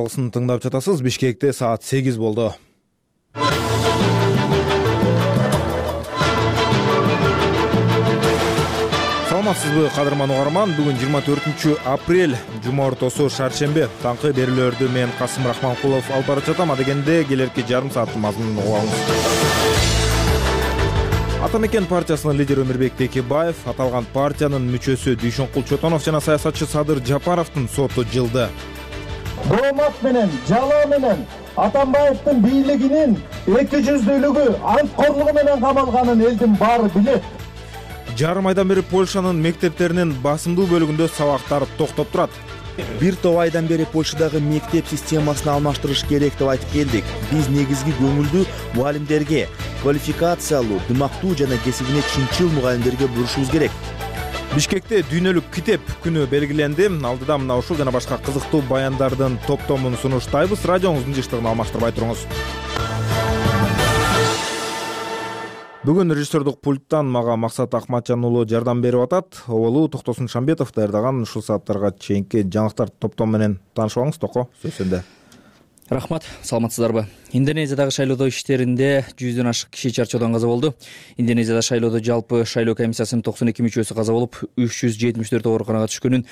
Тыңдап жатасыз. Бишкекте саат 8 болду. Саламатсызбы, кадырман угарман? Бүгүн 24 апрель, жума ортосу, шаршембе. Таңкы берүүлөрдү мен Касым Рахманкулов алып барып жатам. Адегенде келерки жарым сааттын мазмунун угабыз. Ата мекен партиясынын лидери Өмүрбек Текебаев, аталган партиянын мүчөсү Дүйшөнкул Чотонов жана саясатчы Садыр Жапаровдун соту жылды. Доомат менен, жалоо менен Атамбаевдин бийлигинин эки жүздүүлүгү, анткорлугу менен камалганын элдин баары билет. Жарым айдан бери Польшанын мектептеринин басымдуу бөлүгүндө сабактар токтоп турат. Бир топ айдан бери Польшадагы мектеп системасын алмаштырыш керек деп айтып келдик. Биз негизги көңүлдү мугалимдерге, квалификациялуу, дымактуу жана кесибине чынчыл мугалимдерге бурушубуз керек. Бишкекте дүйнөлүк китеп күнү белгиленди. Алдыда мына ушул жана башка кызыктуу баяндардын топтомун сунуштайбыз. Радионуздун жыштыгын алмаштырбай туруңуз. Бүгүн режиссердук пульттан мага Максат Акматжан уулу жардам берип атат. Оболу Токтосун Шамбетов даярдаган ушул сааттарга чейинки жаңылыктар топтому менен таанышып алыңыз. Токо, сөз сенде. Рахмат, саламатсыздарбы? Индонезиядагы шайлоодо иштеринде 100дөн ашык киши чарчоодон каза болду. Индонезияда шайлоодо жалпы шайлоо комиссиясынын 92 мүчөсү каза болуп, 374 ооруканага түшкөнүн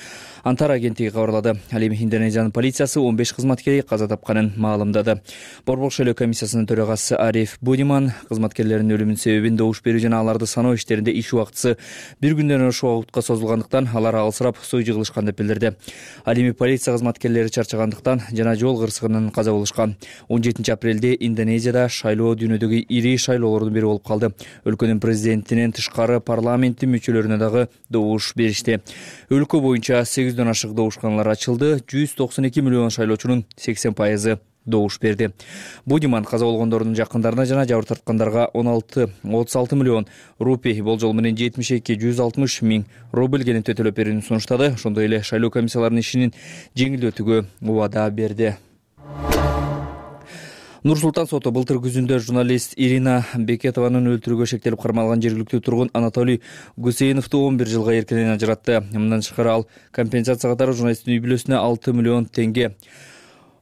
Антара агенттиги кабарлады. Ал эми Индонезиянын полициясы 15 кызматкери каза тапканын маалымдады. Борбордук шайлоо комиссиясынын төрагасы Ариф Будиман кызматкерлердин өлүмүнүн себебин добуш берүү жана аларды саноо иштеринде иш убактысы бир күндөн ашук убакытка созулгандыктан алар алысырап суу жыгылышкан деп билдирди. Ал эми полиция кызматкерлери чарчагандыктан жана жол кырсыгынан каза болушкан. 17 апрелде Индонезияда шайлоо дүйнөдөгү ири шайлоолордун бири болуп калды. Өлкөнүн президентинен тышкары парламенттин мүчөлөрүнө дагы добуш беришти. Өлкө боюнча 8дөн ашык добушканалар ачылды. 192 миллион шайлоочунун 80% добуш берди. Будиман каза болгондордун жакындарына жана жабыр тарткандарга 36 миллион рупий, болжол менен 72-160 миң рубль келинтө төлөп берүүнү сунуштады. Ошондой эле шайлоо комиссияларынын ишинин жеңилдетүүгө убада берди. Нур-Султан соту былтыр күзүндө журналист Ирина Бекетованын өлтүрүүгө шектелип кармалган жергиликтүү тургун Анатолий Гусейновду 11 жылга эркинен ажыратты. Мындан тышкары ал компенсация катары журналисттин үй бүлөсүнө 6 миллион тенге,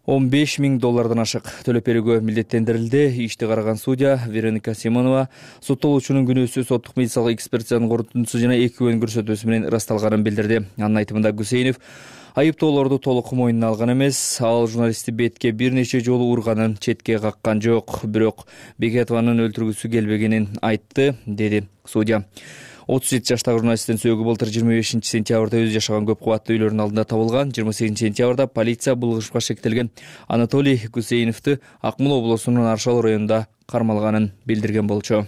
15 миң доллардан ашык төлөп берүүгө милдеттендирилди. Ишти караган судья Вероника Симонова соттолуучунун күнөөсү соттук медициналык экспертизанын корутундусу жана эки күбөнүн көрсөтмөсү менен ырасталганын билдирди. Анын айтымында Гусейнов айыптоолорду толук мойнуна алган эмес. Ал журналистти бетке бир нече жолу урганын, четке каккан жок, бирок Бекетованын өлтүргүсү келбегенин айтты, деди судья. 37 жаштагы журналисттин сөөгү былтыр 25 сентябрда өзү жашаган көп кубаттуу үйлөрүнүн алдында табылган. 28 сентябрда полиция булгушупка шектелген Анатолий Гусейновду Акмола облусунун Аршал районунда кармалганын билдирген болчу.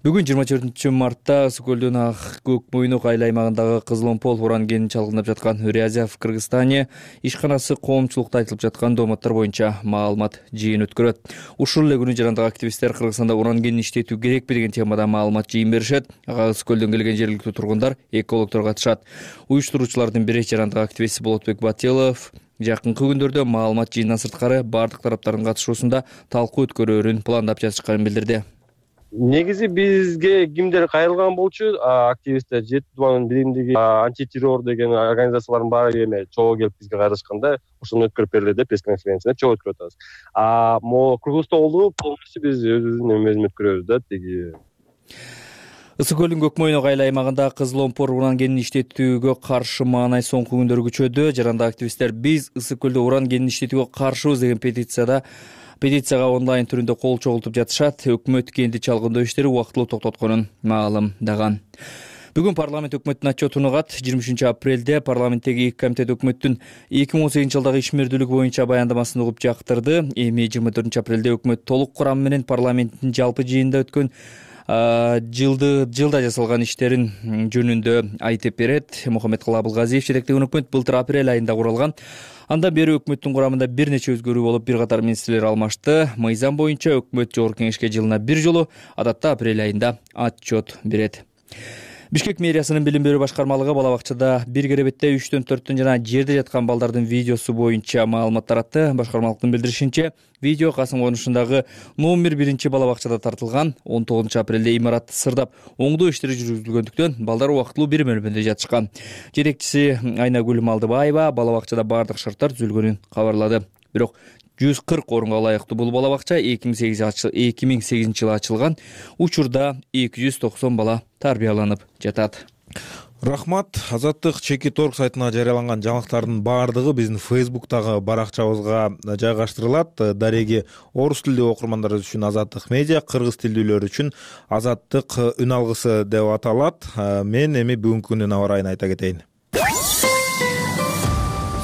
Бүгүн 24 мартта Ысык көлдүн Ак Көк Мойнук айыл аймагындагы Кызыломпол уран кенин чалгындап жаткан Үрязия в Кыргызстане ишканасы коомчулукта айтылып жаткан дооматтар боюнча маалымат жыйын өткөрөт. Ушул эле күнү жарандык активисттер Кыргызстанда уран кенин иштетүү керекпи деген темада маалымат жыйын беришет. Ага Ысык көлдөн келген жергиликтүү тургундар, экологдор катышат. Уюштуруучулардын бири жарандык активист Болотбек Батилов жакынкы күндөрдө маалымат жыйындан сырткары бардык тараптардын катышуусунда талкуу өткөрөөрүн пландап жатышканын билдирди. Негизи бизге кимдер кайрылган болчу? Активисттер, Жети Тубанын биримдиги, антитеррор деген организациялардын баары эме чогуу келип бизге кайрылышканда ошону өткөрүп бериле деп пресс-конференцияда чогуу өткөрүп атабыз. Могу Кыргызстандагы полностью биз өзүбүздүн эмебизди өткөрөбүз да тиги. Ысык көлдүн Көк Мойнук айыл аймагында Кызыломпол уран кенин иштетүүгө каршы маанай соңку күндөрү күчөдү. Жарандык активисттер биз Ысык көлдө уран кенин иштетүүгө каршыбыз деген петицияга онлайн түрүндө кол чогултуп жатышат. Өкмөт кенди чалгындоо иштери убактылуу токтотконун маалымдаган. Бүгүн парламент өкмөттүн отчетун угат. 23 апрелде парламенттеги эки комитет өкмөттүн 2018 жылдагы ишмердүүлүгү боюнча баяндамасын угуп жактырды. Эми 24 апрелде өкмөт толук курамы менен парламенттин жалпы жыйынында өткөн жылда жасалган иштерин жөнүндө айтып берет. Мухаммедкалы Абылгазиев жетектеген өкмөт былтыр апрель айында курулган. Андан бери өкмөттүн курамында бир нече өзгөрүү болуп, бир катар министрлер алмашты. Мыйзам боюнча өкмөт жогорку кеңешке жылына бир жолу, адатта апрель айында отчет берет. Бишкек мэриясынын билим берүү башкармалыгы бала бакчада бир керебетте 3-4 жана жерде жаткан балдардын видеосу боюнча маалымат таратты. Башкармалыктын билдиришинче, видео Касым конушундагы номер 1 бала бакчада тартылган. 19 апрелде имарат сырдап оңдоо иштери жүргүзүлгөндүктөн балдар убактылуу бир бөлмөдө жатышкан. Жетекчиси Айнагүл Малдыбаева бала бакчада бардык шарттар түзүлгөнүн кабарлады. Бирок 140 орунга ылайыктуу бул бала бакча 2008 жылы ачылган. Учурда 290 бала тарбияланып жатат. Рахмат. Азаттык чеки торг сайтына жарыяланган жаңылыктардын баардыгы биздин Facebook'тагы баракчабызга жайгаштырылат. Дареги орус тилдүү окурмандар үчүн Азаттык медиа, кыргыз тилдүүлөр үчүн Азаттык үн алгысы деп аталат. Мен эми бүгүнкү күндүн аба ырайын айта кетейин.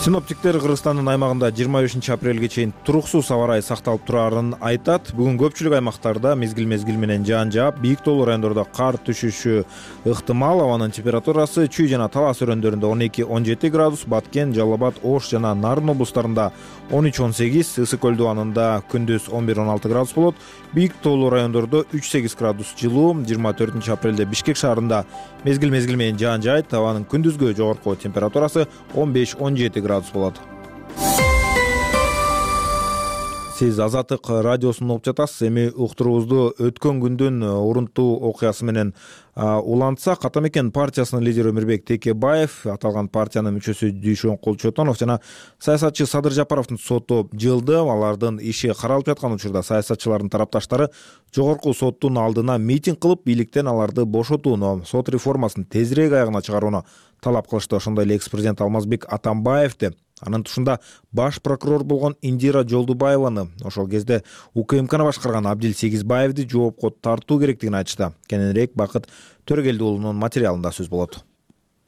Синоптиктер Кыргызстандын аймагында 25 апрелге чейин туруксуз аба ырайы сакталып турарын айтат. Бүгүн көпчүлүк аймактарда мезгил менен жаан жаап, бийик тоолуу райондордо кар түшүшү ыктымал. Абанын температурасы Чүй жана Талас өрөөндөрүндө 12-17 градус, Баткен, Жалал Абад, Ош жана Нарын облустарында 13-18, Ысык көл дубанында күндүз 11-16 градус болот. Бийик тоолуу райондордо 3-8 градус жылуу. 24 апрелде Бишкек шаарында мезгил менен жаан жаайт. Абанын күндүзгө жогорку температурасы 15-17 градус болот. Сиз Азаттык радиосун угуп жатасыз. Эми уктуруубузду өткөн күндүн урунттуу окуясы менен улантсак, Ата мекен партиясынын лидери Өмүрбек Текебаев, аталган партиянын мүчөсү Дүйшөн Кулчотонов жана саясатчы Садыр Жапаровдун соту жылды. Алардын иши каралып жаткан учурда саясатчылардын тарапташтары жогорку соттун алдына митинг кылып, бийликтен аларды бошотууну, сот реформасын тезирээк аягына чыгарууну талап кылышты. Ошондой эле экс-президент Алмазбек Атамбаевди, анын тушунда баш прокурор болгон Индира Жолдубаеваны, ошол кезде УКМКны башкарган Абдил Сегизбаевди жоопко тартуу керектигин айтышты. Кененирээк Бакыт Төрөгелди уулунун материалында сөз болот.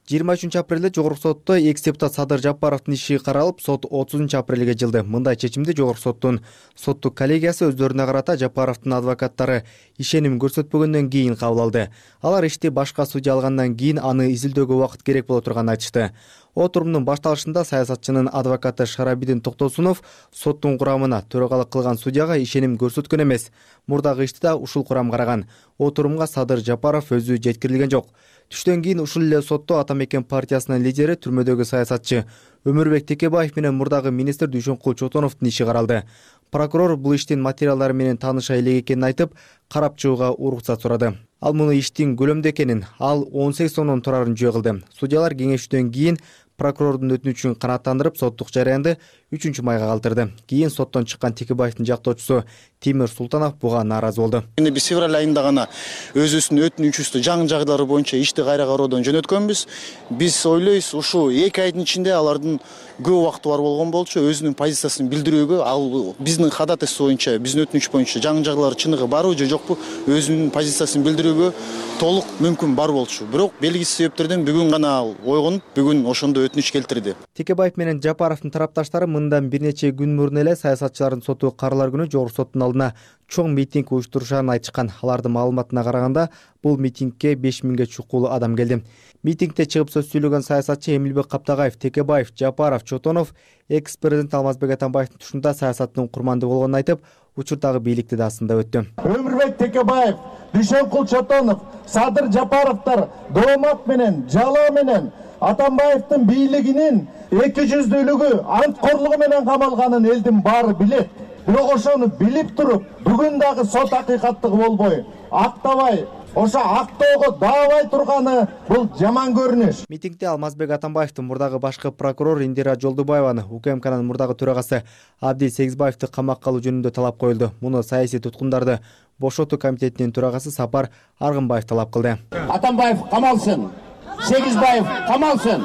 23 апрелде жогорку сотто экс-депутат Садыр Жапаровдун иши каралып, сот 30 апрелге жылды. Мындай чечимди жогорку соттун соттук коллегиясы өздөрүнө карата Жапаровдун адвокаттары ишеним көрсөтпөгөндөн кийин кабыл алды. Алар ишти башка судья алгандан кийин аны изилдөөгө убакыт керек боло турганын айтышты. Отурумдун башталышында саясатчынын адвокаты Шарабидин Токтосунов соттун курамына төрагалык кылган судьяга ишеним көрсөткөн эмес. Мурдагы ишти да ушул курам караган. Отурумга Садыр Жапаров өзү жеткирилген жок. Түштөн кийин ушул эле сотто Ата мекен партиясынын лидери, түрмөдөгү саясатчы Өмүрбек Текебаев менен мурдагы министр Дүйшөн Кулчотоновдун иши каралды. Прокурор бул иштин материалдары менен тааныша элек экенин айтып, карап чыгууга уруксат сурады. Ал муну иштин көлөмдүү экенин, ал 18 сомдон турарын жөө кылды. Судьялар кеңешүүдөн кийин прокурордун өтүнүчүн канааттандырып, соттук жарыянды 3 майга калтырды. Кийин соттон чыккан Текебаевдин жактоочусу Тимир Султанов буга нааразы болду. Эми биз февраль айында гана өзүбүздүн өтүнүчүбүздү жаңы жагдайлары боюнча ишти кайра кароодон жөнөткөнбүз. Биз ойлойбуз, ушу 2 айдын ичинде алардын көп убакыты бар болгон болчу, өзүнүн позициясын билдирүүгө, ал биздин ходатайство боюнча, биздин өтүнүч боюнча жаңы жагдайлар чыныгы барбы же жокпу, өзүнүн позициясын билдирүүгө толук мүмкүн бар болчу. Бирок белгисиз себептерден бүгүн гана ойгонуп, бүгүн ошондо өтүнүч келтирди. Текебаев менен Жапаровдун тарапташтары мындан бир нече күн мурун эле саясатчылардын соту каралар күнү жогорку соттун алдына чоң митинг уюштурушарын айтышкан. Алардын маалыматына караганда, бул митингке 5000 чукулуу адам келди. Митингде чыгып сөз сүйлөгөн саясатчы Эмилбек Каптагаев, Текебаев, Жапаров, Чотонов экс-президент Алмазбек Атамбаевдин тушунда саясаттын курманды болгонун айтып, учурдагы бийликти да сындап өттү. Өмүрбек Текебаев, Дүйшөн Кулчотонов, Садыр Жапаровдор доомат менен, жалаа менен Атамбаевдин бийлигинин эки жүздүүлүгү, анткорлугу менен камалганын элдин баары билет. Бирок ошону билип туруп, бүгүн дагы сот акыйкаттыгы болбой, актабай, ошо актоого даабай турганы бул жаман көрүнүш. Митингде Алмазбек Атамбаевдин мурдагы башкы прокурор Индира Жолдубаеваны, УКМКнын мурдагы төрагасы Абдил Сегизбаевди камакка алуу жөнүндө талап коюлду. Муну саясий туткундарды бошотуу комитетинин төрагасы Сапар Аргынбаев талап кылды. Атамбаев камалсын, Сегизбаев камалсын,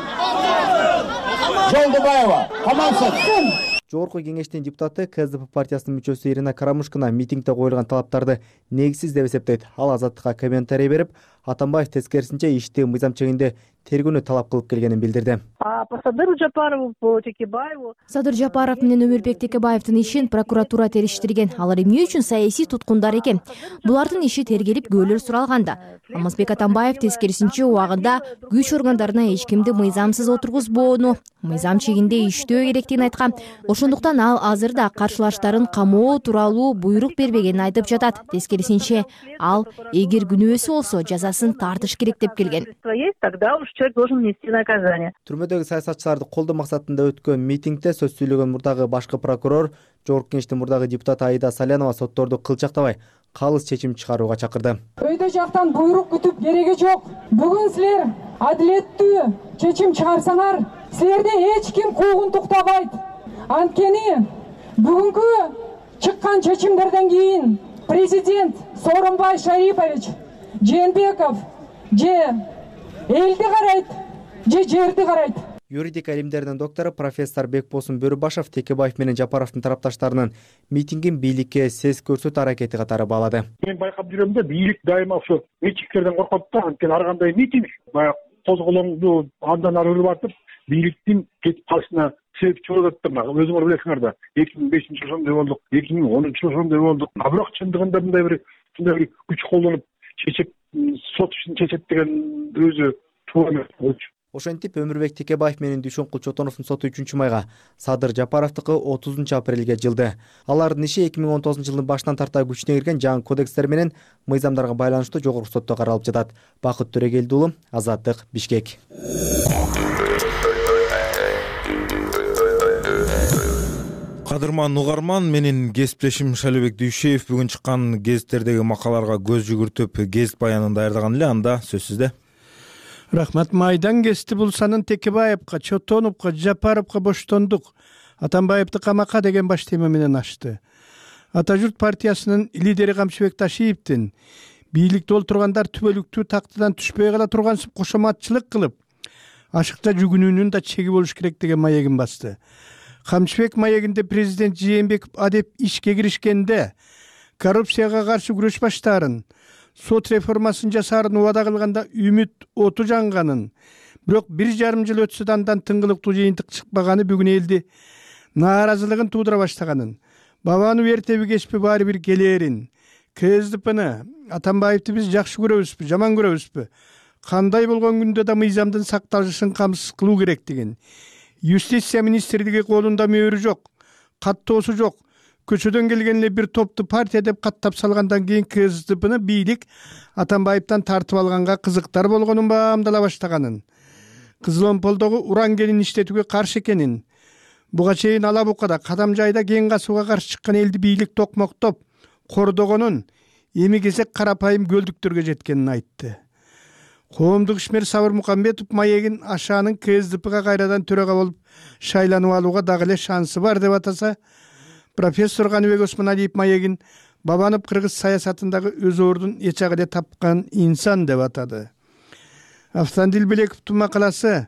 Жолдубаева камалсын. Жогорку кеңештин депутаты КСДП партиясынын мүчөсү Ирина Карамушкина митингде коюлган талаптарды негизсиз деп эсептейт. Ал Азаттыкка комментарий берип, Атамбаев тескерисинче ишти мыйзам чегинде тергөөнү талап кылып келгенин билдирди. По Садыру Жапарову, по Текебаеву. Садыр Жапаров менен Өмүрбек Текебаевдин ишин прокуратура териштирген. Алар эмне үчүн саясий туткундар экен? Булардын иши тергелип көөлөр суралганда. Алмазбек Атамбаев тескерисинче убагында күч органдарына эч кимди мыйзамсыз отургузбоону, мыйзам чегинде иштөө керектигин айткан. Ошондуктан ал азыр да каршылаштарын камоо тууралуу буйрук бербегенин айтып жатат. Тескерисинче ал эгер күнөөсү болсо жазасын тартыш керек деп келген. Тогда уж человек должен нести наказание. Түрмөдөгү саясатчыларды колдоо максатында өткөн митингде сөз сүйлөгөн мурдагы башкы прокурор, Жогорку Кеңештин мурдагы депутаты Аида Салянова сотторду кылчактабай калыс чечим чыгарууга чакырды. Өйдө жактан буйрук күтүп кереги жок. Бүгүн силер адилеттүү чечим чыгарсаңар, силерди эч ким куугунтуктабайт. Анткени бүгүнкү чыккан чечимдерден кийин президент Сооронбай Шарипович Жээнбеков же элди карайт, же жерди карайт. Юридика илимдеринин доктору профессор Бекбосун Бөрүбашев Текебаев менен Жапаровдун тарапташтарынын митингин бийликке сес көрсөтүү аракети катары баалады. Мен байкап жүрөм да, бийлик дайыма ошо митингтерден коркот да, анткени ар кандай митинг баягы козголоңду андан ары өрүп атып, бийликтин кетип калышына себепчи болуп атты. Өзүңөр билесиңер да, 2005-жылы ошондой болдук, 2010-жылы ошондой болдук. Бирок чындыгында мындай бир күч колдонуп чечип, сот ишин чечет деген өзү туура эмес. Ошентип Өмүрбек Текебаев менен Дүйшөнкул Чотоновдун соту 3 майга, Садыр Жапаровдукы 30 апрелге жылды. Алардын иши 2019-жылдын башынан тарта күчүнө кирген жаңы кодекстер менен мыйзамдарга байланыштуу жогорку сотто каралып жатат. Бакыт Төрөгелди уулу, Азаттык, Бишкек. Кадырман угарман, менин кесиптешим Шайлообек Дүйшеев бүгүн чыккан гезиттердеги макалаларга көз жүгүртүп, гезит баянын даярдаган эле. Анда сөз сизде. Рахмат. Майдан кести Булсанын Текебаевка, Чотоновго, Жапаровго боштондук, Атамбаевди камакка деген баш тема менен ачты. Ата журт партиясынын лидери Камчыбек Ташиевдин бийликте олтургандар түбөлүктүү тактыдан түшпөй кала тургансып кошоматчылык кылып, ашыкча жүгүнүүнүн да чеги болуш керек деген маегин басты. Камчыбек маегинде президент Жээнбеков адеп ишке киришкенде коррупцияга каршы күрөш баштаарын, сот реформасын жасаарын убада кылганда үмүт оту жанганын, бирок 1,5 жыл өтсө да андан тыңгылыктуу жыйынтык чыкпаганы бүгүн элди нааразылыгын туудура баштаганын, бабаны эртеби кечпи баары бир келээрин, КСДПны, Атамбаевди биз жакшы көрөбүзбү, жаман көрөбүзбү, кандай болгон күндө да мыйзамдын сакталышын камсыз кылуу керектигин, юстиция министрлиги колунда мөөрү жок, каттоосу жок, көчөдөн келген эле бир топту партия деп каттап салгандан кийин КСДПны бийлик Атамбаевден тартып алганга кызыктар болгонун баамдала баштаганын, Кызыл Омполдогу уран кенин иштетүүгө каршы экенин, буга чейин Ала Букада, Кадам жайда кен касууга каршы чыккан элди бийлик токмоктоп, кордогонун, эми кезек карапайым көлдүктөргө жеткенин айтты. Коомдук ишмер Сабыр Мукамбетов маегин Ашаанын КСДПга кайрадан төрага болуп шайланып алууга дагы эле шансы бар деп атаса, профессор Каныбек Осмоналиев маегин Бабанов кыргыз саясатындагы өз ордун эч эле тапкан инсан деп атады. Автандил Белековдун макаласы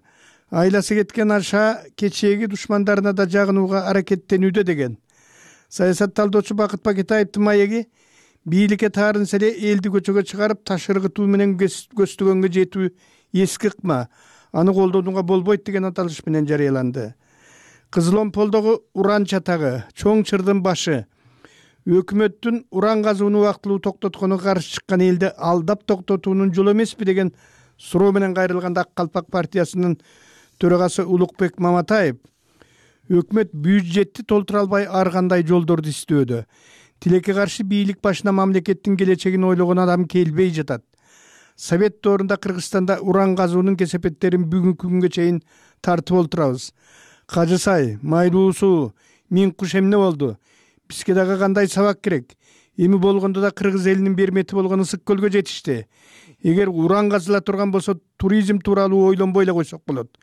айласы кеткен Аша кечээги душмандарына да жагынууга аракеттенүүдө деген. Саясат талдоочу Бакыт Бакетаевдин маеги бийликке таарынса эле элди көчөгө чыгарып ташыргытуу менен көздөгөнгө жетүү эски ыкма, аны колдонууга болбойт деген аталыш менен жарыяланды. Кызыл Омполдогу уран чатагы, чоң чырдын башы, өкмөттүн уран казууну убактылуу токтотконуга каршы чыккан элди алдап токтотуунун жолу эмеспи деген суроо менен кайрылганда Ак Калпак партиясынын төрагасы Улукбек Маматаев өкмөт бюджетти толтура албай ар кандай жолдорду издөөдө. Тилекке каршы бийлик башына мамлекеттин келечегин ойлогон адам келбей жатат. Совет доорунда Кыргызстанда уран казуунун кесепеттерин бүгүнкү күнгө чейин тартып олтурабыз. Кажысай, Майлуусу, Миң куш эмне болду? Бизге дагы кандай сабак керек? Эми болгондо да кыргыз элинин бермети болгон Ысык көлгө жетишти. Эгер уран казыла турган болсо, туризм тууралуу ойлонбой эле койсок болот.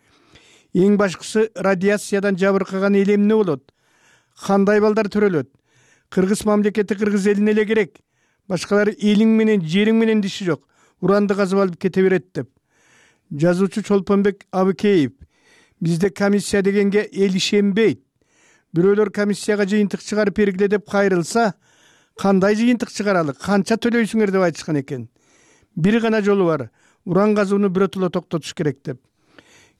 Эң башкысы радиациядан жабыркаган эл эмне болот? Кандай балдар төрөлөт? Кыргыз мамлекети кыргыз элине эле керек. Башкалар элиң менен, жериң менен диши жок. Уранды казып алып кете берет деп. Жазуучу Чолпонбек Абыкеев: бизде комиссия дегенге эл ишенбейт. Бирөөлөр комиссияга жыйынтык чыгарып бергиле деп кайрылса, кандай жыйынтык чыгаралы, канча төлөйсүңөр деп айтышкан экен. Бир гана жолу бар. уран казууну биротоло токтотуш керек деп.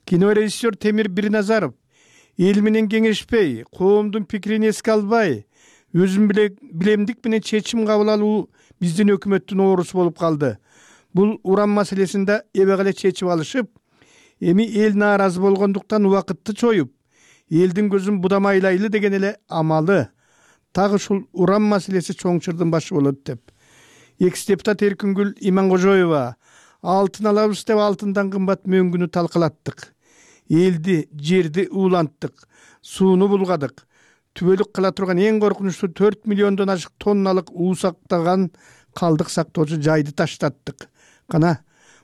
Кинорежиссер Темир Бирназаров эл менен кеңешпей, коомдун пикирин эске албай, өзүн билемдик менен чечим кабыл алуу биздин өкмөттүн оорусу болуп калды. Бул уран маселесинде эбек эле чечип алышып, эми эл нааразы болгондуктан убакытты чоюп, элдин көзүн будамайлайлы деген эле амалы. Тагы ушул уран маселеси чоңчурдун башы болот деп. Экс-депутат Эркингүл Иманкожоева алтын алабыз деп алтындан кымбат мөңгүнү талкалаттык. Элди, жерди ууланттык, сууну булгадык. Түбөлүк кыла турган эң коркунучтуу 4 миллиондон ашык тонналык уу сактаган калдык сактоочу жайды таштаттык. Кана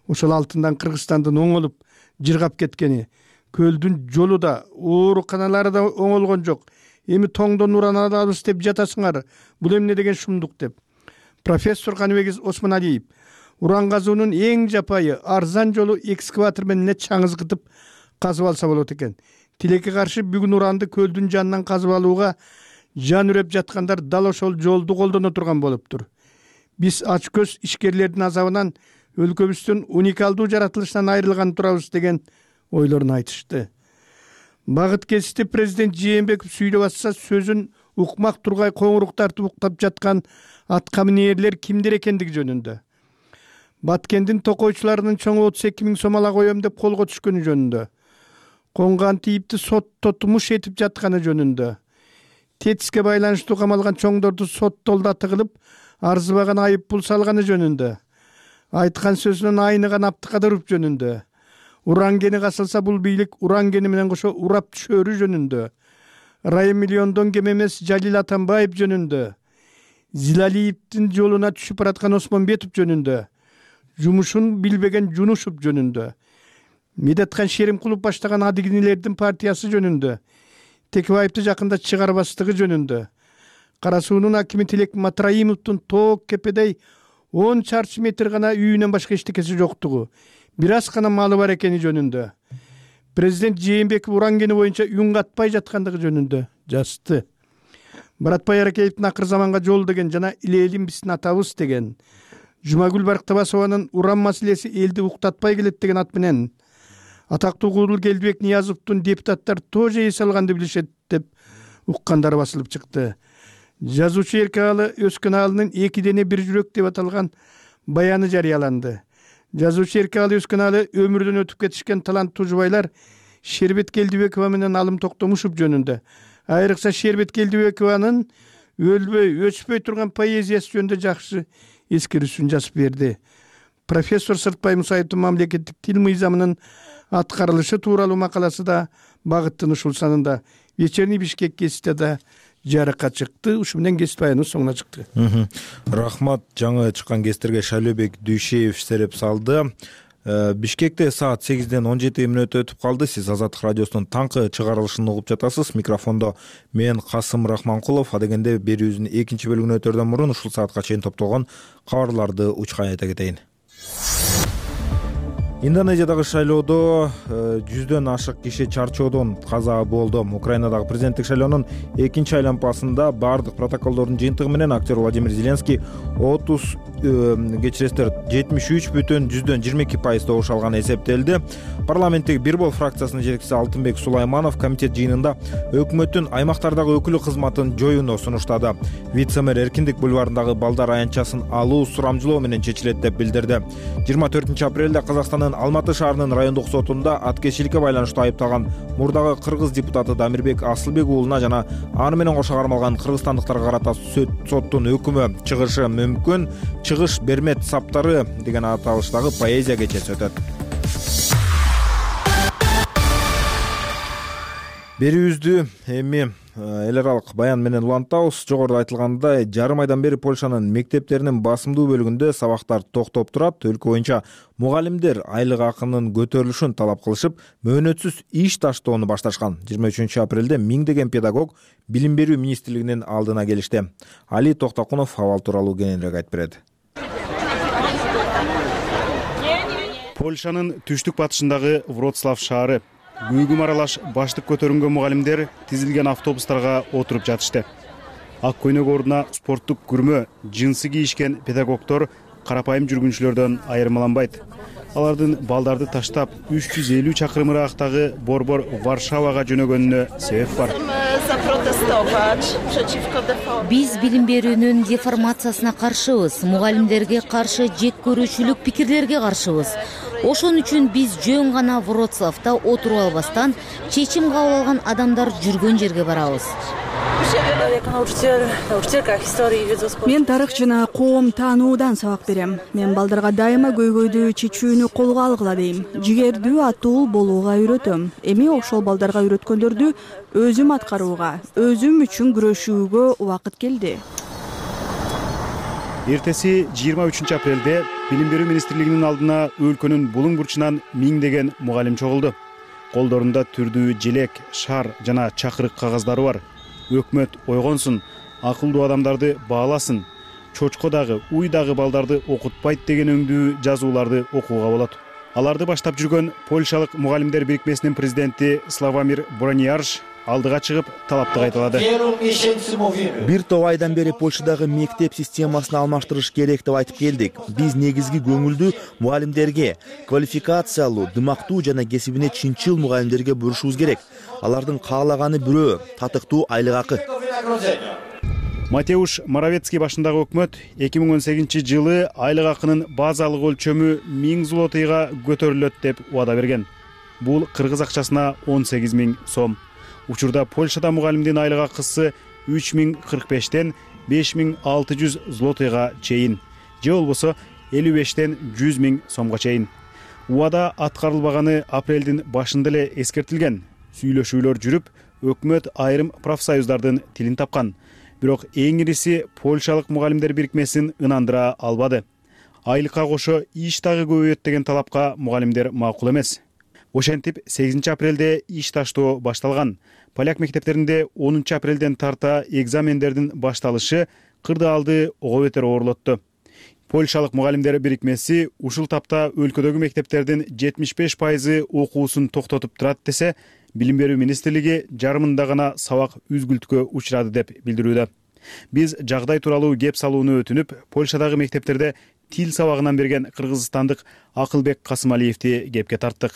ошол алтындан Кыргызстандын оңолуп, жыргап кеткени, көлдүн жолу да, ооруканалары да оңолгон жок. Эми тоңдон уран алабыз деп жатасыңар. Бул эмне деген шумдук деп. Профессор Каныбек Осмоналиев уран казуунун эң жапайы, арзан жолу экскаватор менен чаңызгытып казып алса болот экен. Тилекке каршы бүгүн уранды көлдүн жанынан казып алууга жан үрөп жаткандар дал ошол жолду колдоно турган болуптур. Биз ачкөз ишкерлердин азабынан, өлкөбүздүн уникалдуу жаратылышынан айрылган турабыз деген ойлорун айтышты. Багыт кесипти президент Жээнбеков сүйлөп атса, сөзүн укмак тургай коңурук тартып уктап жаткан атка минээрлер кимдер экендиги жөнүндө. Баткендин токойчуларынын чоңу 32 000 сом ала коем деп колго түшкөнү жөнүндө. Конган тийипти сотто тумуш этип жатканы жөнүндө. ТЭЦке байланыштуу камалган чоңдорду соттолдо тыгылып, арзыбаган айып пул салганы жөнүндө. Айткан сөзүнөн айныган Абдыкадыров жөнүндө. Уран кени касылса бул бийлик уран кени менен кошо урап түшөрү жөнүндө. Райым миллиондон кем эмес Жалил Атамбаев жөнүндө. Зилалиевдин жолуна түшүп бараткан Осмонбетов жөнүндө. Жумушун билбеген Жунушев жөнүндө. Медетхан Шеримкулов баштаган адигинилердин партиясы жөнүндө. Текебаевди жакында чыгарбастыгы жөнүндө. Кара суунун акими Тилек Матраимовдун тоок кепедей 10 чарчы метр гана үйүнөн башка эчтекеси жоктугу, бир аз гана малы бар экени жөнүндө. Президент Жээнбеков уран кени боюнча үн катпай жаткандыгы жөнүндө жазды. Баратбай Аракеевдин акыр заманга жол деген жана илелим биздин атабыз деген. Жумагүл Барктабасованын уран маселеси элди уктатпай келет деген ат менен атактуу Куудул Келдибек Ниязовдун депутаттар тоже эс алганды билишет деп уккандар басылып чыкты. Жазуучу Эркалы Өскөналынын 2 дене 1 жүрөк деп аталган баяны жарыяланды. Жазуучу Эркалы Өскөналы өмүрдөн өтүп кетишкен таланттуу жубайлар Шербет Келдибекова менен Алым Токтомушев жөнүндө, айрыкча Шербет Келдибекованын өлбөй, өчпөй турган поэзиясы жөнүндө жакшы эскерүүсүн жазып берди. Профессор Сыртбай Мусаевдин мамлекеттик тил мыйзамынын аткарылышы тууралуу макаласы да багыттын ушул санында. Вечерний Бишкек гезитте да жарыкка чыкты. Ушу менен гезит баяныбыз соңуна чыкты. Рахмат, жаңы чыккан гезиттерге Шайлообек Дүйшеев сереп салды. Бишкекте саат 8ден 17 мүнөт өтүп калды. Сиз Азаттык радиосунун таңкы чыгарылышын угуп жатасыз. Микрофондо мен Касым Рахманкулов. Адегенде берүүбүздүн экинчи бөлүгүнө өтөрдөн мурун ушул саатка чейин топтолгон кабарларды учкан айта кетейин. Индонезиядагы шайлоодо 100дөн ашык киши чарчоодон каза болду. Украинадагы президенттик шайлоонун экинчи айлампасында бардык протоколдордун жыйынтыгы менен актер Владимир Зеленский 73,22% добуш алганы эсептелди. Парламенттеги Бир Бол фракциясынын жетекчиси Алтынбек Сулайманов комитет жыйынында өкмөттүн аймактардагы өкүлү кызматын жоюуну сунуштады. Вице-мэр Эркиндик бульварындагы балдар аянтчасын алуу сурамжылоо менен чечилет деп билдирди. 24 апрелде Казакстандын Алматы шаарынын райондук сотунда аткезчиликке байланыштуу айыпталган мурдагы кыргыз депутаты Дамирбек Асылбек уулуна жана аны менен кошо кармалган кыргызстандыктарга карата соттун өкүмү чыгышы мүмкүн. Чыгыш бермет саптары деген аталыштагы поэзия кечеси өтөт. Берүүбүздү эми эл аралык баян менен улантабыз. Жогоруда айтылгандай, жарым айдан бери Польшанын мектептеринин басымдуу бөлүгүндө сабактар токтоп турат. Өлкө боюнча мугалимдер айлык акынын көтөрүлүшүн талап кылышып, мөөнөтсүз иш таштоону башташкан. 23 апрелде миңдеген педагог Билим берүү министрлигинин алдына келишти. Али Токтокунов абал тууралуу кененирээк айтып берет. Польшанын түштүк батышындагы Вроцлав шаары. Күйгүм аралаш баштык көтөрүнгөн мугалимдер тизилген автобустарга отуруп жатышты. Ак көйнөк ордуна спорттук күрмө, джинсы кийишкен педагогдор карапайым жүргүнчүлөрдөн айырмаланбайт. алардын балдарды таштап 350 чакырым ыраактагы борбор Варшавага жөнөгөнүнө себеп бар. Биз билим берүүнүн деформациясына каршыбыз, мугалимдерге каршы жек көрүүчүлүк пикирлерге каршыбыз. Ошон үчүн биз жөн гана Вроцлавда отуруп албастан чечим кабыл алган адамдар жүргөн жерге барабыз. Мен тарых жана коом таануудан сабак берем. Мен балдарга дайыма көйгөйдү чечүүнү колго алгыла дейм. Жигердүү атуу болууга үйрөтөм. Эми ошол балдарга үйрөткөндөрдү өзүм аткарууга, өзүм үчүн күрөшүүгө убакыт келди. Эртеси 23 апрелде Билим берүү министрлигинин алдына өлкөнүн булуң бурчунан миңдеген мугалим чогулду. Колдорунда түрдүү желек, шар жана чакырык кагаздары бар. Өкмөт ойгонсун, акылдуу адамдарды бааласын, чочко дагы, уй дагы балдарды окутпайт деген өңдүү жазууларды окууга болот. Аларды баштап жүргөн Польшалык мугалимдер бирикмесинин президенти Славомир Брониарж алдыга чыгып талапты кайталады. Бир топ айдан бери Польшадагы мектеп системасын алмаштырыш керек деп айтып келдик. Биз негизги көңүлдү мугалимдерге, квалификациялуу, дымактуу жана кесибине чынчыл мугалимдерге бурушубуз керек. Алардын каалаганы бирөө, татыктуу айлык акы. Матеуш Моровецкий башындагы өкмөт 2018 жылы айлык акынын базалык өлчөмү 1000 злотыйга көтөрүлөт деп убада берген. Бул кыргыз акчасына 18 000 сом. Учурда Польшада мугалимдин айлык акысы 3045тен 5600 злотыйга чейин, же болбосо 55тен 100 000 сомго чейин. Убада аткарылбаганы апрелдин башында эле эскертилген. Сүйлөшүүлөр жүрүп, өкмөт айрым профсоюздардын тилин тапкан. Бирок эң ириси Польшалык мугалимдер бирикмесин ынандыра албады. Айлыкка кошо иш дагы көбөйөт деген талапка мугалимдер макул эмес. Ошентип 8 апрелде иш таштоо башталган. Поляк мектептеринде 10 апрелден тарта экзамендердин башталышы кырдаалды ого бетер оорлотту. Польшалык мугалимдер бирикмеси ушул тапта өлкөдөгү мектептердин 75% окуусун токтотуп турат десе, Билим берүү министрлиги жарымында гана сабак үзгүлтүккө учурады деп билдирүүдө. Биз жагдай тууралуу кеп салууну өтүнүп, Польшадагы мектептерде тил сабагынан берген кыргызстандык Акылбек Касымалиевди кепке тарттык.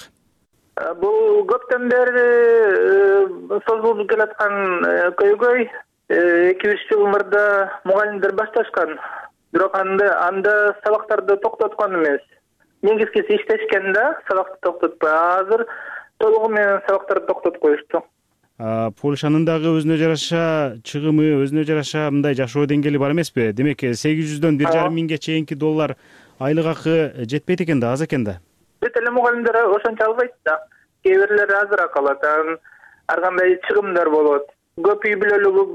Бул көптөн бери созулуп келаткан көйгөй 2-3 жыл мурда мугалимдер башташкан. Бирок анда сабактарды токтоткон эмес. Негизгиси иштешкен да, сабакты токтотпой. Азыр толугу менен сабактарды токтотуп коюшту. Польшанын дагы өзүнө жараша чыгымы, өзүнө жараша мындай жашоо деңгээли бар эмеспи? Демек 800дөн 1,5 миңге чейинки доллар айлык акы жетпейт экен да, аз экен да. Бүт эле мугалимдер ошончо албайт да. Кээ бирлери азыраак алат, ар кандай чыгымдар болот. Көп үй бүлөлүк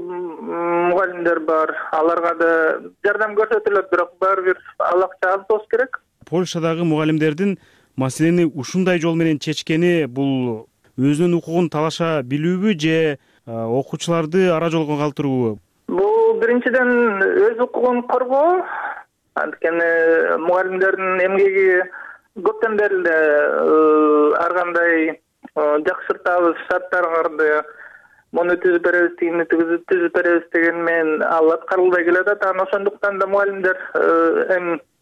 мугалимдер бар, аларга да жардам көрсөтүлөт, бирок баары бир ал акча аз болуш керек. Польшадагы мугалимдердин маселени ушундай жол менен чечкени бул өзүнүн укугун талаша билүүбү же окуучуларды ара жолго калтыруубу? Бул биринчиден өз укугун коргоо. Анткени мугалимдердин эмгеги көптөн бери эле ар кандай жакшыртабыз, шарттарды муну түзүп беребиз, тигини түзүп беребиз деген менен ал аткарылбай келатат. Ошондуктан да мугалимдер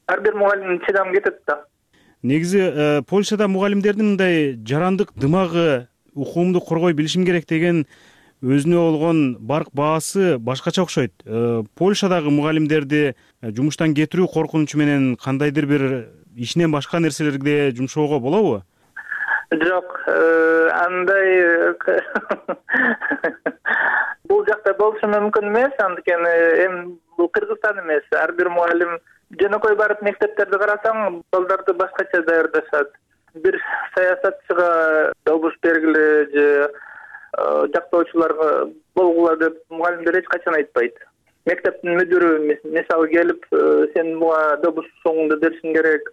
ар бир мугалим чыдам кетет да. Негизи Польшада мугалимдердин мындай жарандык дымагы, укуумду коргой билишим керек деген өзүнө болгон барк баасы башкача окшойт. Польшадагы мугалимдерди жумуштан кетирүү коркунучу менен кандайдыр бир ишинен башка нерселерге жумшоого болобу? Жок, андай бул жакта болушу мүмкүн эмес, анткени эми бул Кыргызстан эмес. Ар бир мугалим жөнөкөй барып мектептерди карасаң, балдарды башкача даярдашат. Бир саясатчыга добуш бергиле же жактоочуларга болгула деп мугалимдер эч качан айтпайт. Мектептин мүдүрү мисалы келип, сен буга добуш соңунда беришиң керек,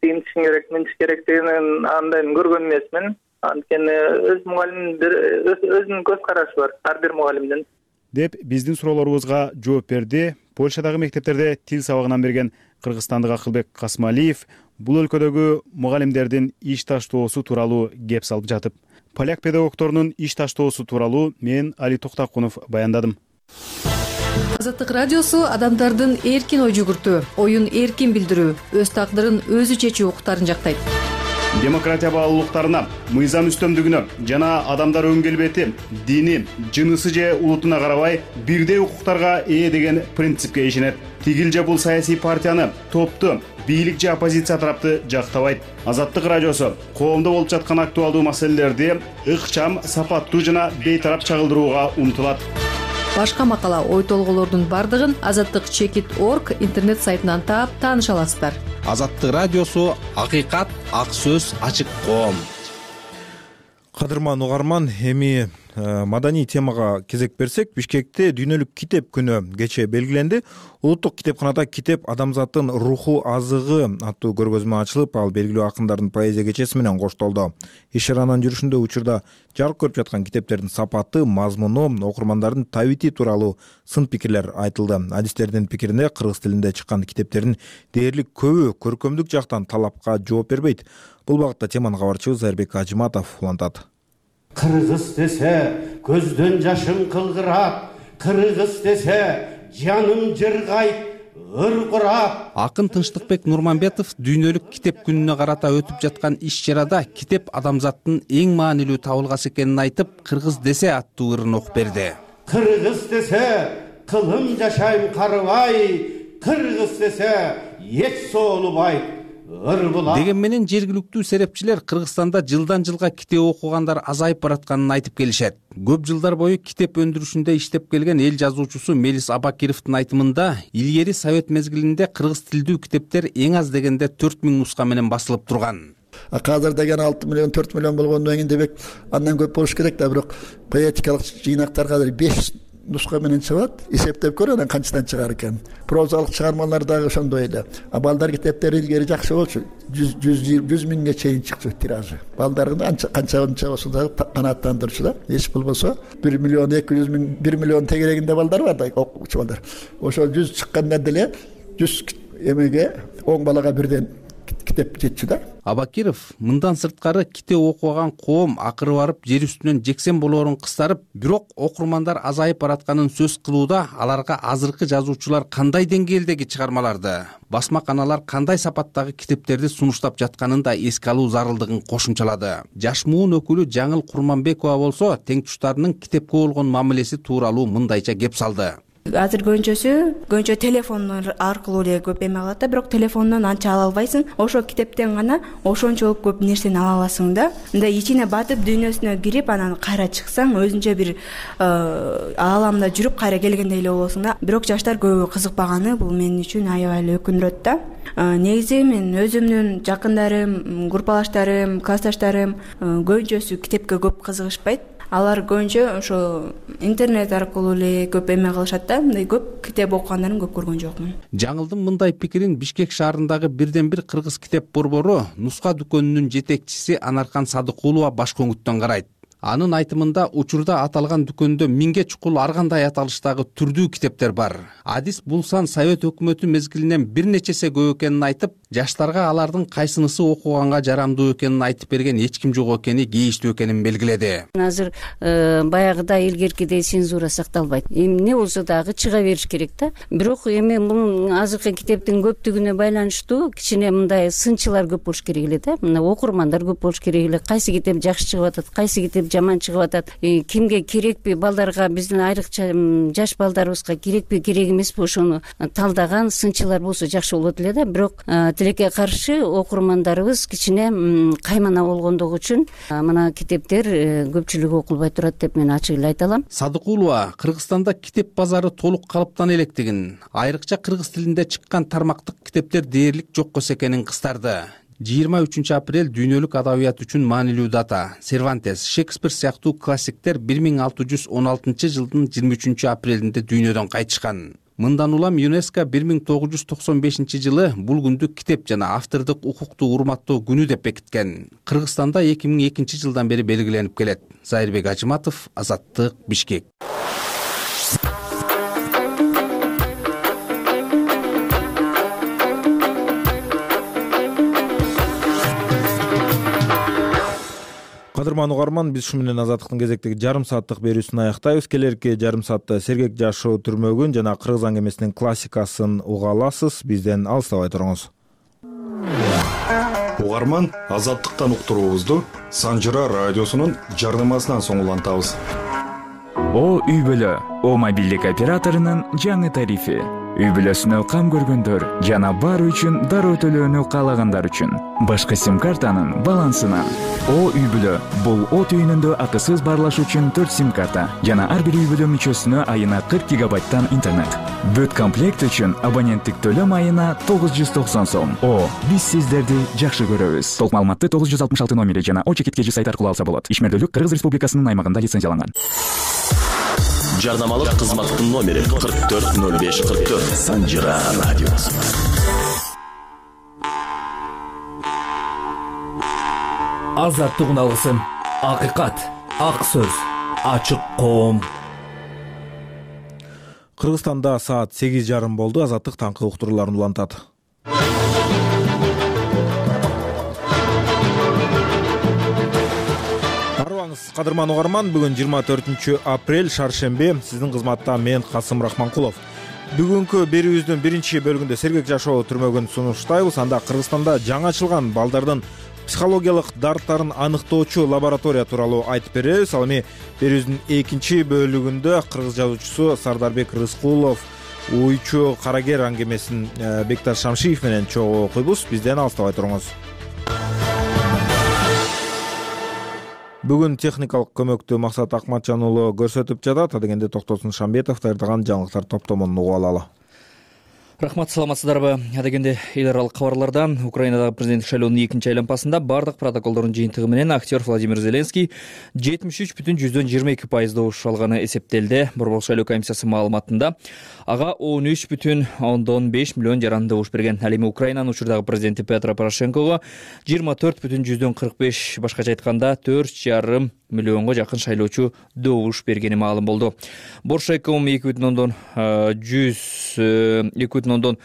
тигинтишиң керек, мынтиш керек деген андайын көргөн эмесмин. Анткени өз мугалимдер өзүнүн көз карашы бар ар бир мугалимдин. Деп биздин суроолорубузга жооп берди Польшадагы мектептерде тил сабагынан берген кыргызстандык Акылбек Касымалиев бул өлкөдөгү мугалимдердин иш таштоосу тууралуу кеп салып жатып. Поляк педагогторунун иш таштоосу тууралуу мен Али Токтакунов баяндадым. Азаттык радиосу адамдардын эркин ой жүгүртүү, оюн эркин билдирүү, өз тагдырын өзү чечүү укуктарын жактайт. демократия баалуулуктарына, мыйзам үстөмдүгүнө жана адамдар өң келбети, дини, жынысы же улутуна карабай бирдей укуктарга ээ деген принципке ишенет. Тигил же бул саясий партияны, топту, бийлик же оппозиция тарапты жактабайт. Азаттык радиосу коомдо болуп жаткан актуалдуу маселелерди ыкчам, сапаттуу жана бейтарап чагылдырууга умтулат. Башка макала, ой толгоолордун бардыгын azattik.org интернет сайтынан таап тааныша аласыздар. Азаттык радиосу акыйкат, ак сөз, ачык коом. Кадырман угарман, эми маданий темага кезек берсек, Бишкекте дүйнөлүк китеп күнү кечээ белгиленди. Улуттук китепканада «Китеп адамзаттын руху азыгы» аттуу көргөзмө ачылып, ал белгилүү акындардын поэзия кечеси менен коштолду. Иш-чаранын жүрүшүндө учурда жарык көрүп жаткан китептердин сапаты, мазмуну, окурмандардын табити тууралуу сын пикирлер айтылды. Адистердин пикирине кыргыз тилинде чыккан китептердин дээрлик көбү көркөмдүк жактан талапка жооп бербейт. Бул багытта теманы кабарчыбыз Айрбек Ажыматов улантат. Кыргыз десе көздөн жашым кылгырап, кыргыз десе жаным жыргайт, ыркырап. Акын Тынчтыкбек Нурманбетов дүйнөлүк китеп күнүнө карата өтүп жаткан иш-чарада китеп адамзаттын эң маанилүү табылгасы экенин айтып, кыргыз десе аттуу ырын окуп берди. Кыргыз десе кылым жашайм карыбай, кыргыз десе эч соолубайт. Деген менен жергиликтүү серепчилер Кыргызстанда жылдан жылга китеп окугандар азайып баратканын айтып келишет. Көп жылдар бою китеп өндүрүшүндө иштеп келген эл жазуучусу Мелис Абакировдун айтымында, илгери Совет мезгилинде кыргыз тилдүү китептер эң аз дегенде 4000 нуска менен басылып турган. Азыр деген 6 миллион 4 миллион болгондон кийин дебек андан көп болуш керек да, бирок поэтикалык жыйнактар азыр 5 нуска менен чыгат. Эсептеп көр, анан канчадан чыгар экен. Прозалык чыгармалар дагы ошондой эле. А балдар китептери илгери жакшы болчу. 100 миңге чейин чыкчу тиражы. Балдардын канча болсо дагы канааттандырчу да. Эч болбосо 1 миллион 200 миң, 1 миллион тегерегинде балдар бар да, окуучу балдар. Ошо 100 чыкканда деле 100 эмеге 10 балага бирден китеп жетчү да. Абакиров мындан сырткары китеп окуган коом акыры барып жер үстүнөн жексен болоорун кыстарып, бирок окурмандар азайып баратканын сөз кылууда аларга азыркы жазуучулар кандай деңгээлдеги чыгармаларды, басма каналар кандай сапаттагы китептерди сунуштап жатканын да эске алуу зарылдыгын кошумчалады. Жаш муун өкүлү Жаңыл Курманбекова болсо теңтуштарынын китепке болгон мамилеси тууралуу мындайча кеп салды. Азыр көбүнчө телефон аркылуу эле көп эме кылат да, бирок телефондон анча ала албайсың. Ошо китептен гана ошончолук көп нерсени ала аласың да. Мындай ичине батып, дүйнөсүнө кирип, анан кайра чыксаң, өзүнчө бир ааламда жүрүп кайра келгендей эле болосуң да. Бирок жаштар көбү кызыкпаганы бул мен үчүн аябай эле өкүндүрөт да. Негизи мен өзүмдүн жакындарым, группалаштарым, классташтарым көбүнчөсү китепке көп кызыгышпайт. Алар көбүнчө ошо интернет аркылуу эле көп эме кылышат да, мындай көп китеп окугандарын көп көргөн жокмун. Жаңылдын мындай пикирин Бишкек шаарындагы бирден бир кыргыз китеп борбору нуска дүкөнүнүн жетекчиси Анаркан Садыкулова баш көңүттөн карайт. Анын айтымында учурда аталган дүкөндө 1000ге чукул ар кандай аталыштагы түрдүү китептер бар. Адис бул сан Совет өкмөтү мезгилинен бир нечесе көп экенин айтып, жаштарга алардын кайсынысы окуганга жарамдуу экенин айтып берген эч ким жок экени кейиштүү экенин белгиледи. Азыр баягыдай илгеркидей цензура сакталбайт. Эмне болсо дагы чыга бериш керек да. Бирок эми бул азыркы китептин көптүгүнө байланыштуу кичине мындай сынчылар көп болуш керек эле да. Мына окурмандар көп болуш керек эле. Кайсы китеп жакшы чыгып атат, кайсы китеп жаман чыгып атат, кимге керекпи, балдарга, биздин айрыкча жаш балдарыбызга керекпи, керек эмеспи, ошону талдаган сынчылар болсо жакшы болот эле да. Бирок тилекке каршы окурмандарыбыз кичине каймана болгондугу үчүн мына китептер көпчүлүгү окулбай турат деп мен ачык эле айта алам. Садыкулова Кыргызстанда китеп базары толук калыптан электигин, айрыкча кыргыз тилинде чыккан тармактык китептер дээрлик жок экенин кыстарды. 23 апрель дүйнөлүк адабият үчүн маанилүү дата. Сервантес, Шекспир сыяктуу классиктер 1616 жылдын 23 апрелинде дүйнөдөн кайтышкан. Мындан улам ЮНЕСКО 1995 жылы бул күндү китеп жана автордук укукту урматтоо күнү деп бекиткен. Кыргызстанда 2002 жылдан бери белгиленип келет. Айрбек Ажыматов, Азаттык, Бишкек. Кадырман угарман, биз ушу менен Азаттыктын кезектеги жарым сааттык берүүсүн аяктайбыз. Келерки жарым саатта Сергек жашоо түрмөгүн жана кыргыз аңгемесинин классикасын уга аласыз. Бизден алыстабай туруңуз. Угарман, Азаттыктан уктуруубузду Санжыра радиосунун жардамасынан соң улантабыз. О үй бүлө, О мобилдик операторунун жаңы тарифи. Үй бүлөсүнө кам көргөндөр жана бар үчүн дароо төлөөнү каалагандар үчүн башка сим-картанын балансынан. О үй бүлө, бул О түйүнүндө акысыз баарлаш үчүн 4 сим-карта жана ар бир үй бүлө мүчөсүнө айына 40 гигабайттан интернет. Бүт комплект үчүн абоненттик төлөм айына 990 сом. О, биз сиздерди жакшы көрөбүз. Толук маалыматты 966 номери жана О-чекиткежи сайт аркылуу алса болот. Ишмердүүлүк Кыргыз Республикасынын аймагында лицензияланган. Жардамалык кызматтын номери 440544 Санжыра радиосу. Азаттык алгысын, акыйкат, ак сөз, ачык коом. Кыргызстанда саат 8:30 болду. Азаттык таңкы уктурууларын улантат. Кадырман угарман, бүгүн 24 апрель шаршембе. Сиздин кызматта мен Касым Рахманкулов. Бүгүнкү берүүбүздүн биринчи бөлүгүндө сергек жашоо түрмөгүн сунуштайбыз. Анда Кыргызстанда жаңы ачылган балдардын психологиялык дарттарын аныктоочу лаборатория тууралуу айтып беребиз. Ал эми берүүбүздүн экинчи бөлүгүндө кыргыз жазуучусу Сардарбек Рыскулов уйчу карагер аңгемесин Бекташ Шамшиев менен чогуу окуйбуз. Бизден алыстабай туруңуз. Бүгүн техникалык көмөктү Максат Акматжан уулу көрсөтүп жатат. Адегенде Токтосун Шамбетов даярдаган жаңылыктар топтомун угуп алалы. Рахмат, саламатсыздарбы? Адегенде эл аралык кабарлардан Украинадагы президенттик шайлоонун экинчи айланмасында бардык протоколдордун жыйынтыгы менен актер Владимир Зеленский 73,22% добуш алганы эсептелди. Борбордук шайлоо комиссиясы маалыматында ага 13,5 миллион жаран добуш берген. Ал эми Украинанын учурдагы президенти Петро Порошенкого 24,45, башкача айтканда 4,5 миллионго жакын шайлоочу добуш бергени маалым болду. Боршайком 2,131%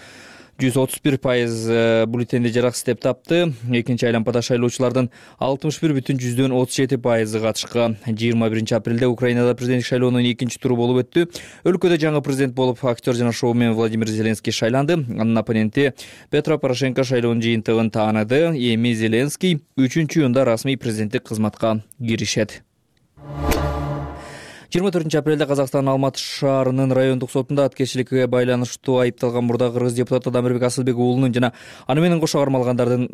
бюллетенди жараксыз деп тапты. Экинчи айланмада шайлоочулардын 61,37% катышкан. 21 апрелде Украинада президенттик шайлоонун экинчи туру болуп өттү. Өлкөдө жаңы президент болуп актер жана шоумен Владимир Зеленский шайланды. Анын оппоненти Петро Порошенко шайлоонун жыйынтыгын тааныды. Эми Зеленский 3-июнда расмий президенттик кызматка киришет. 24 апрелде Казакстандын Алматы шаарынын райондук сотунда аткерчиликке байланыштуу айыпталган мурдагы кыргыз депутаты Дамирбек Асылбек уулунун жана аны менен кошо кармалгандардын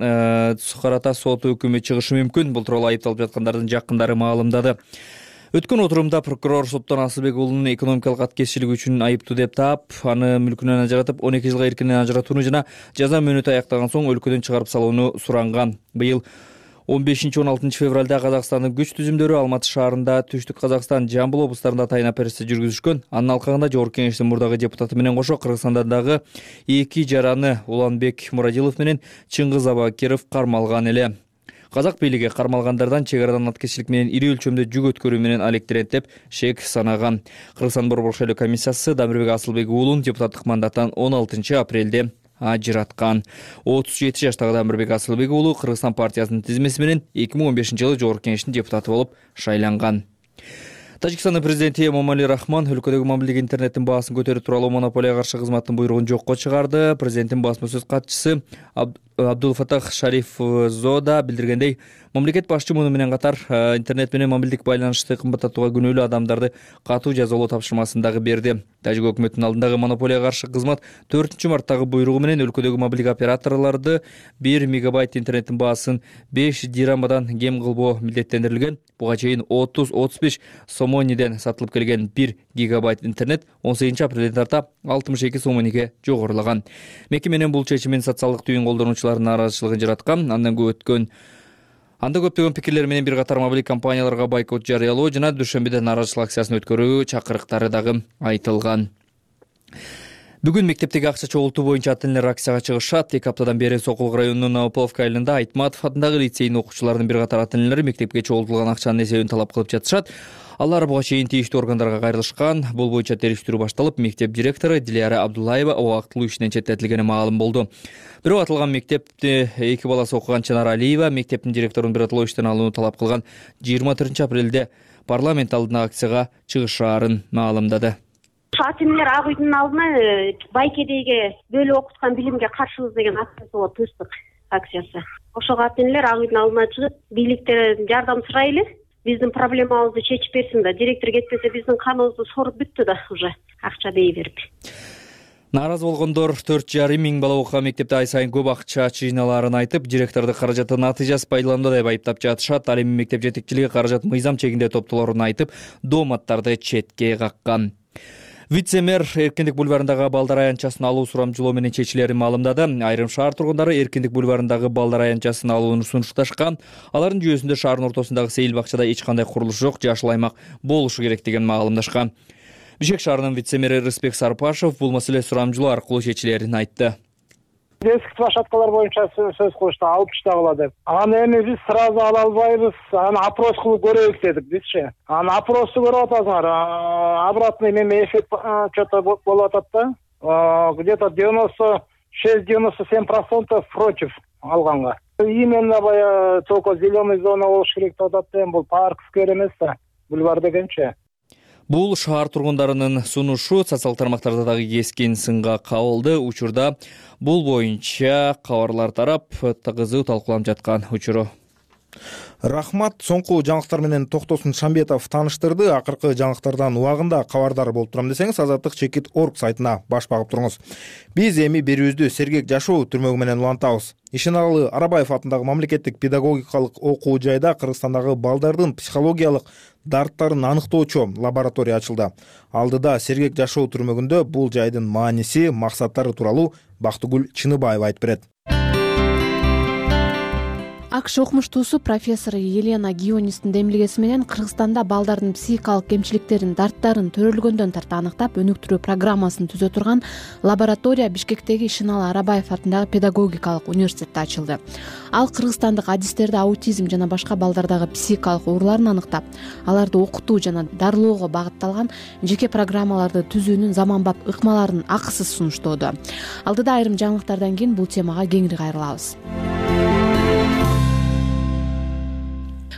карата сот өкүмү чыгышы мүмкүн. Бул тууралуу айыпталып жаткандардын жакындары маалымдады. Өткөн отурумда прокурор соттон Асылбек уулунун экономикалык аткерчилиги үчүн айыптуу деп таап, аны мүлкүнөн ажыратып 12 жылга эркинен ажыратууну жана жаза мөөнөтү аяктаган соң өлкөдөн чыгарып салууну суранган. Быйыл 15-16 февралда Казакстандын күч түзүмдөрү Алматы шаарында, Түштүк Казакстан, Жамбыл облустарында тайын операция жүргүзүшкөн. Анын алкагында Жогорку Кеңештин мурдагы депутаты менен кошо Кыргызстандагы эки жараны Уланбек Мурадилов менен Чыңгыз Абакиров кармалган эле. Казак бийлиги кармалгандардан чек арадан аткерчилик менен ири өлчөмдө жүк өткөрүү менен алектенет деп шек санаган. Кыргызстан борбор шайлоо комиссиясы Дамирбек Асылбек уулун депутаттык мандаттан 16 апрелде ажыраткан. 37 жаштагы Дамирбек Асылбек уулу Кыргызстан партиясынын тизмеси менен 2015-жылы Жогорку Кеңештин депутаты болуп шайланган. Тажикстандын президенти Эмомали Рахмон өлкөдөгү мобилдик интернеттин баасын көтөрүү тууралуу монополияга каршы кызматтын буйругун жокко чыгарды. Президенттин басма сөз катчысы Абдулфатах Шарифзода билдиргендей, мамлекет башчы муну менен катар интернет менен мобилдик байланышты кымбаттатууга күнөөлүү адамдарды катуу жазалоо тапшырмасын дагы берди. Тажик өкмөтүнүн алдындагы монополияга каршы кызмат 4-марттагы буйругу менен өлкөдөгү мобилдик операторлорду 1 мегабайт интернеттин баасын 5 дирамадан кем кылбоо милдеттендирилген. Буга чейин 30-35 сомониден сатылып келген 1 гигабайт интернет 18 апрелден тарта 62 сомониге жогорулаган. Мекеменин бул чечимин социалдык түйүн колдонуучулардын нааразычылыгын жараткан. Анда көптөгөн пикирлер менен бир катар мобилдик компанияларга бойкот жарыялоо жана дүйшөмбүдө нааразычылык акциясын өткөрүү чакырыктары дагы айтылган. Бүгүн мектептеги акча чогултуу боюнча ата-энелер акцияга чыгышат. 2 аптадан бери Сокул районунун Новополовка айылында Айтматов атындагы лицейдин окуучуларынын бир катар ата-энелери мектепке чогултулган акчанын эсебин талап кылып жатышат. Алар буга чейин тийиштүү органдарга кайрылышкан. Бул боюнча териштирүү башталып, мектеп директору Дилияра Абдуллаева убактылуу ишинен четтетилгени маалым болду. Бирок аталган мектепте 2 баласы окуган Чанара Алиева мектептин директорун биротоло иштен алууну талап кылган. 24 апрелде парламент алдына акцияга чыгышаарын маалымдады. Ата-энелер ак үйдүн алдына байкедеги бөлүп окуткан билимге каршыбыз деген акциясы болуп чыктык акциясы. ошого ата энелер ак үйдүн алдына чыгып бийликтен жардам сурайлы, биздин проблемабызды чечип берсин да. Директор кетпесе биздин каныбызды соруп бүттү да уже акча дей берип. Нааразы болгондор 4,5 миң бала окуган мектепте ай сайын көп акча жыйналаарын айтып, директорду каражатты натыйжасыз пайдаланууда деп айыптап жатышат. Ал эми мектеп жетекчилиги каражат мыйзам чегинде топтолоорун айтып, дооматтарды четке каккан. Вице-мэр Эркиндик бульварындагы балдар аянтчасын алуу сурамжылоо менен чечилерин маалымдады. Айрым шаар тургундары Эркиндик бульварындагы балдар аянтчасын алууну сунушташкан. Алардын жүйөсүндө шаардын ортосундагы сейил бакчада эч кандай курулуш жок, жашыл аймак болушу керек деген маалымдашкан. Бишкек шаарынын вице-мэри Рыспек Сарпашев бул маселе сурамжылоо аркылуу чечилерин айтты. Детский площадкалар боюнча сөз кылышты, алып чыгыла деп. Аны эми биз сразу ала албайбыз, аны опрос кылып көрөйүк дедик бизчи. Аны опросту көрүп атасыңар, обратный эме эффект что-то болуп атат да. Где-то 96-97% против алганга. Именно баягы только зеленый зона болуш керек деп атат да, бул парк, сквер эмес да, бульвар дегенчи. Бул шаар тургундарынын сунушу социал тармактарда дагы кескин сынга кабылды. Учурда бул боюнча кабарлар тарап кызуу талкууланып жаткан учуру. Рахмат. Соңку жаңылыктар менен Токтосун Шамбетов тааныштырды. Акыркы жаңылыктардан убагында кабардар болуп турам десеңиз, Азаттык.org сайтына баш багып туруңуз. Биз эми берүүбүздү Сергек Жашоо түрмөгү менен улантабыз. Ишеналалы Арабаев атындагы мамлекеттик педагогикалык окуу жайда Кыргызстандагы балдардын психологиялык дарттарын аныктоочу лаборатория ачылды. Алдыда Сергек Жашоо түрмөгүндө бул жайдын мааниси, максаттары тууралуу Бактыгүл Чыныбаева айтып берет. АКШ окумуштуусу профессор Елена Гионистин демилгеси менен Кыргызстанда балдардын психикалык кемчиликтерин, дарттарын төрөлгөндөн тарта аныктап, өнүктүрүү программасын түзө турган лаборатория Бишкектеги Ишеналы Арабаев атындагы педагогикалык университетте ачылды. Ал кыргызстандык адистерди аутизм жана башка балдардагы психикалык ооруларын аныктап, аларды окутуу жана дарылоого багытталган жеке программаларды түзүүнүн заманбап ыкмаларын акысыз сунуштоодо. Алдыда айрым жаңылыктардан кийин бул темага кеңири кайрылабыз.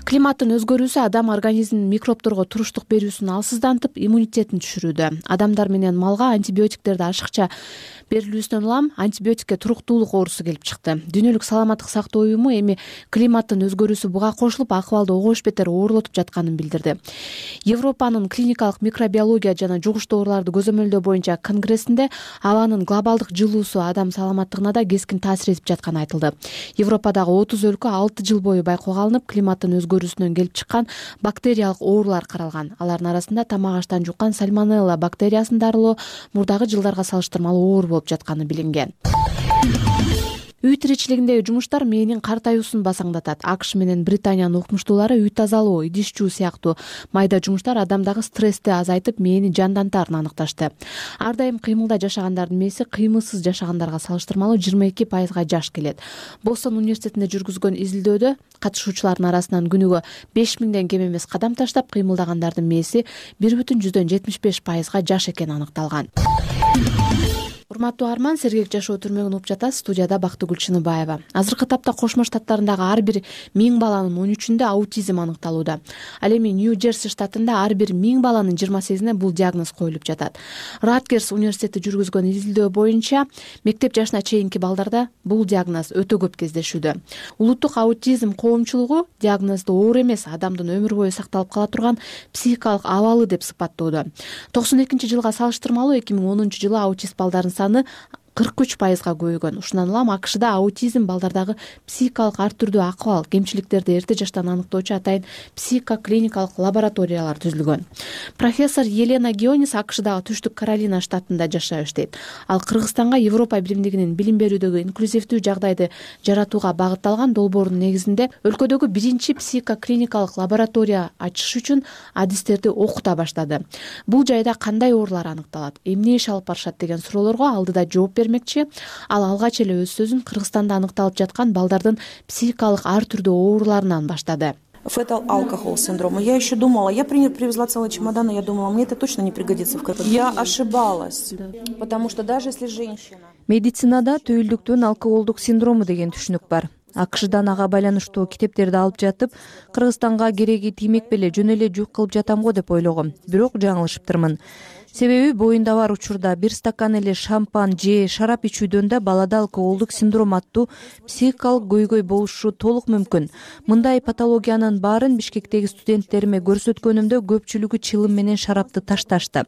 Климаттын өзгөрүүсү адам организминин микробторго туруштук берүүсүн алсыздантып, иммунитетин түшүрүүдө. Адамдар менен малга антибиотиктерди ашыкча берилүүсүнөн улам антибиотикке туруктуулук оорусу келип чыкты. Дүйнөлүк саламаттык сактоо уюму эми климаттын өзгөрүүсү буга кошулуп акыбалды огош бетер оорлотуп жатканын билдирди. Европанын клиникалык микробиология жана жугуштуу ооруларды көзөмөлдөө боюнча конгрессинде абанын глобалдык жылуусу адам саламаттыгына да кескин таасир этип жатканы айтылды. Европадагы 30 өлкө 6 жыл бою байкоого алынып, климаттын өзгөрүүсүнөн келип чыккан бактериялык оорулар каралган. Алардын арасында тамак аштан жуккан сальмонелла бактериясын дарылоо мурдагы жылдарга салыштырмалуу оор болуп жатканы билинген. Үй тиричилигиндеги жумуштар мээнин картаюусун басаңдатат. АКШ менен Британиянын окумуштуулары үй тазалоо, идиш жуу сыяктуу майда жумуштар адамдагы стрессти азайтып, мээни жандантарын аныкташты. Ар дайым кыймылда жашагандардын мээси кыймылсыз жашагандарга салыштырмалуу 22% жаш келет. Бостон университетинде жүргүзгөн изилдөөдө катышуучулардын арасынан күнүгө 5000ден кем эмес кадам таштап кыймылдагандардын мээси 1,75% жаш экени аныкталган. Урматтуу Арман, Сергек Жашоо түрмөгүн угуп жатасыз. Студияда Бактыгүл Чыныбаева. Азыркы тапта Кошмо Штаттарындагы ар бир 1000 баланын 13-үндө аутизм аныкталууда. Ал эми Нью-Джерси штатында ар бир 1000 баланын 28-ине бул диагноз коюлуп жатат. Раткерс университети жүргүзгөн изилдөө боюнча мектеп жашына чейинки балдарда бул диагноз өтө көп кездешүүдө. Улуттук аутизм коомчулугу диагнозду оор эмес, адамдын өмүр бою сакталып кала турган психикалык абалы деп сыпаттоодо. 92-жылга салыштырмалуу 2010-жылы аутист балдардын саны 43%га көбөйгөн. Ушундан улам АКШда аутизм балдардагы психикалык ар түрдүү акыбал, кемчиликтерди эрте жаштан аныктоочу атайын психоклиникалык лабораториялар түзүлгөн. Профессор Елена Гионис АКШдагы Түштүк Каролина штатында жашап иштейт. Ал Кыргызстанга Европа биримдигинин билим берүүдөгү инклюзивдүү жагдайды жаратууга багытталган долбоорунун негизинде өлкөдөгү биринчи психоклиникалык лаборатория ачыш үчүн адистерди окута баштады. Бул жайда кандай оорулар аныкталат, эмне иш алып барышат деген суроолорго алдыда жооп бермекчи. Ал алгач эле өз сөзүн Кыргызстанда аныкталып жаткан балдардын психикалык ар түрдүү ооруларынан баштады. Fetal alcohol syndrome. Я еще думала, я привезла целый чемодан, и я думала, мне это точно не пригодится в какой-то. Я ошибалась, потому что даже если женщина... Медицинада түйүлдүктүн алкоголдук синдрому деген түшүнүк бар. АКШдан ага байланыштуу китептерди алып жатып, Кыргызстанга кереги тиймек беле жөн эле жүк кылып жатам го деп ойлогом. Бирок жаңылышыптырмын. себеби боюнда бар учурда бир стакан эле шампан же шарап ичүүдөн да балада алкоголдук синдром аттуу психикалык көйгөй болушу толук мүмкүн. Мындай патологиянын баарын Бишкектеги студенттериме көрсөткөнүмдө көпчүлүгү чылым менен шарапты ташташты.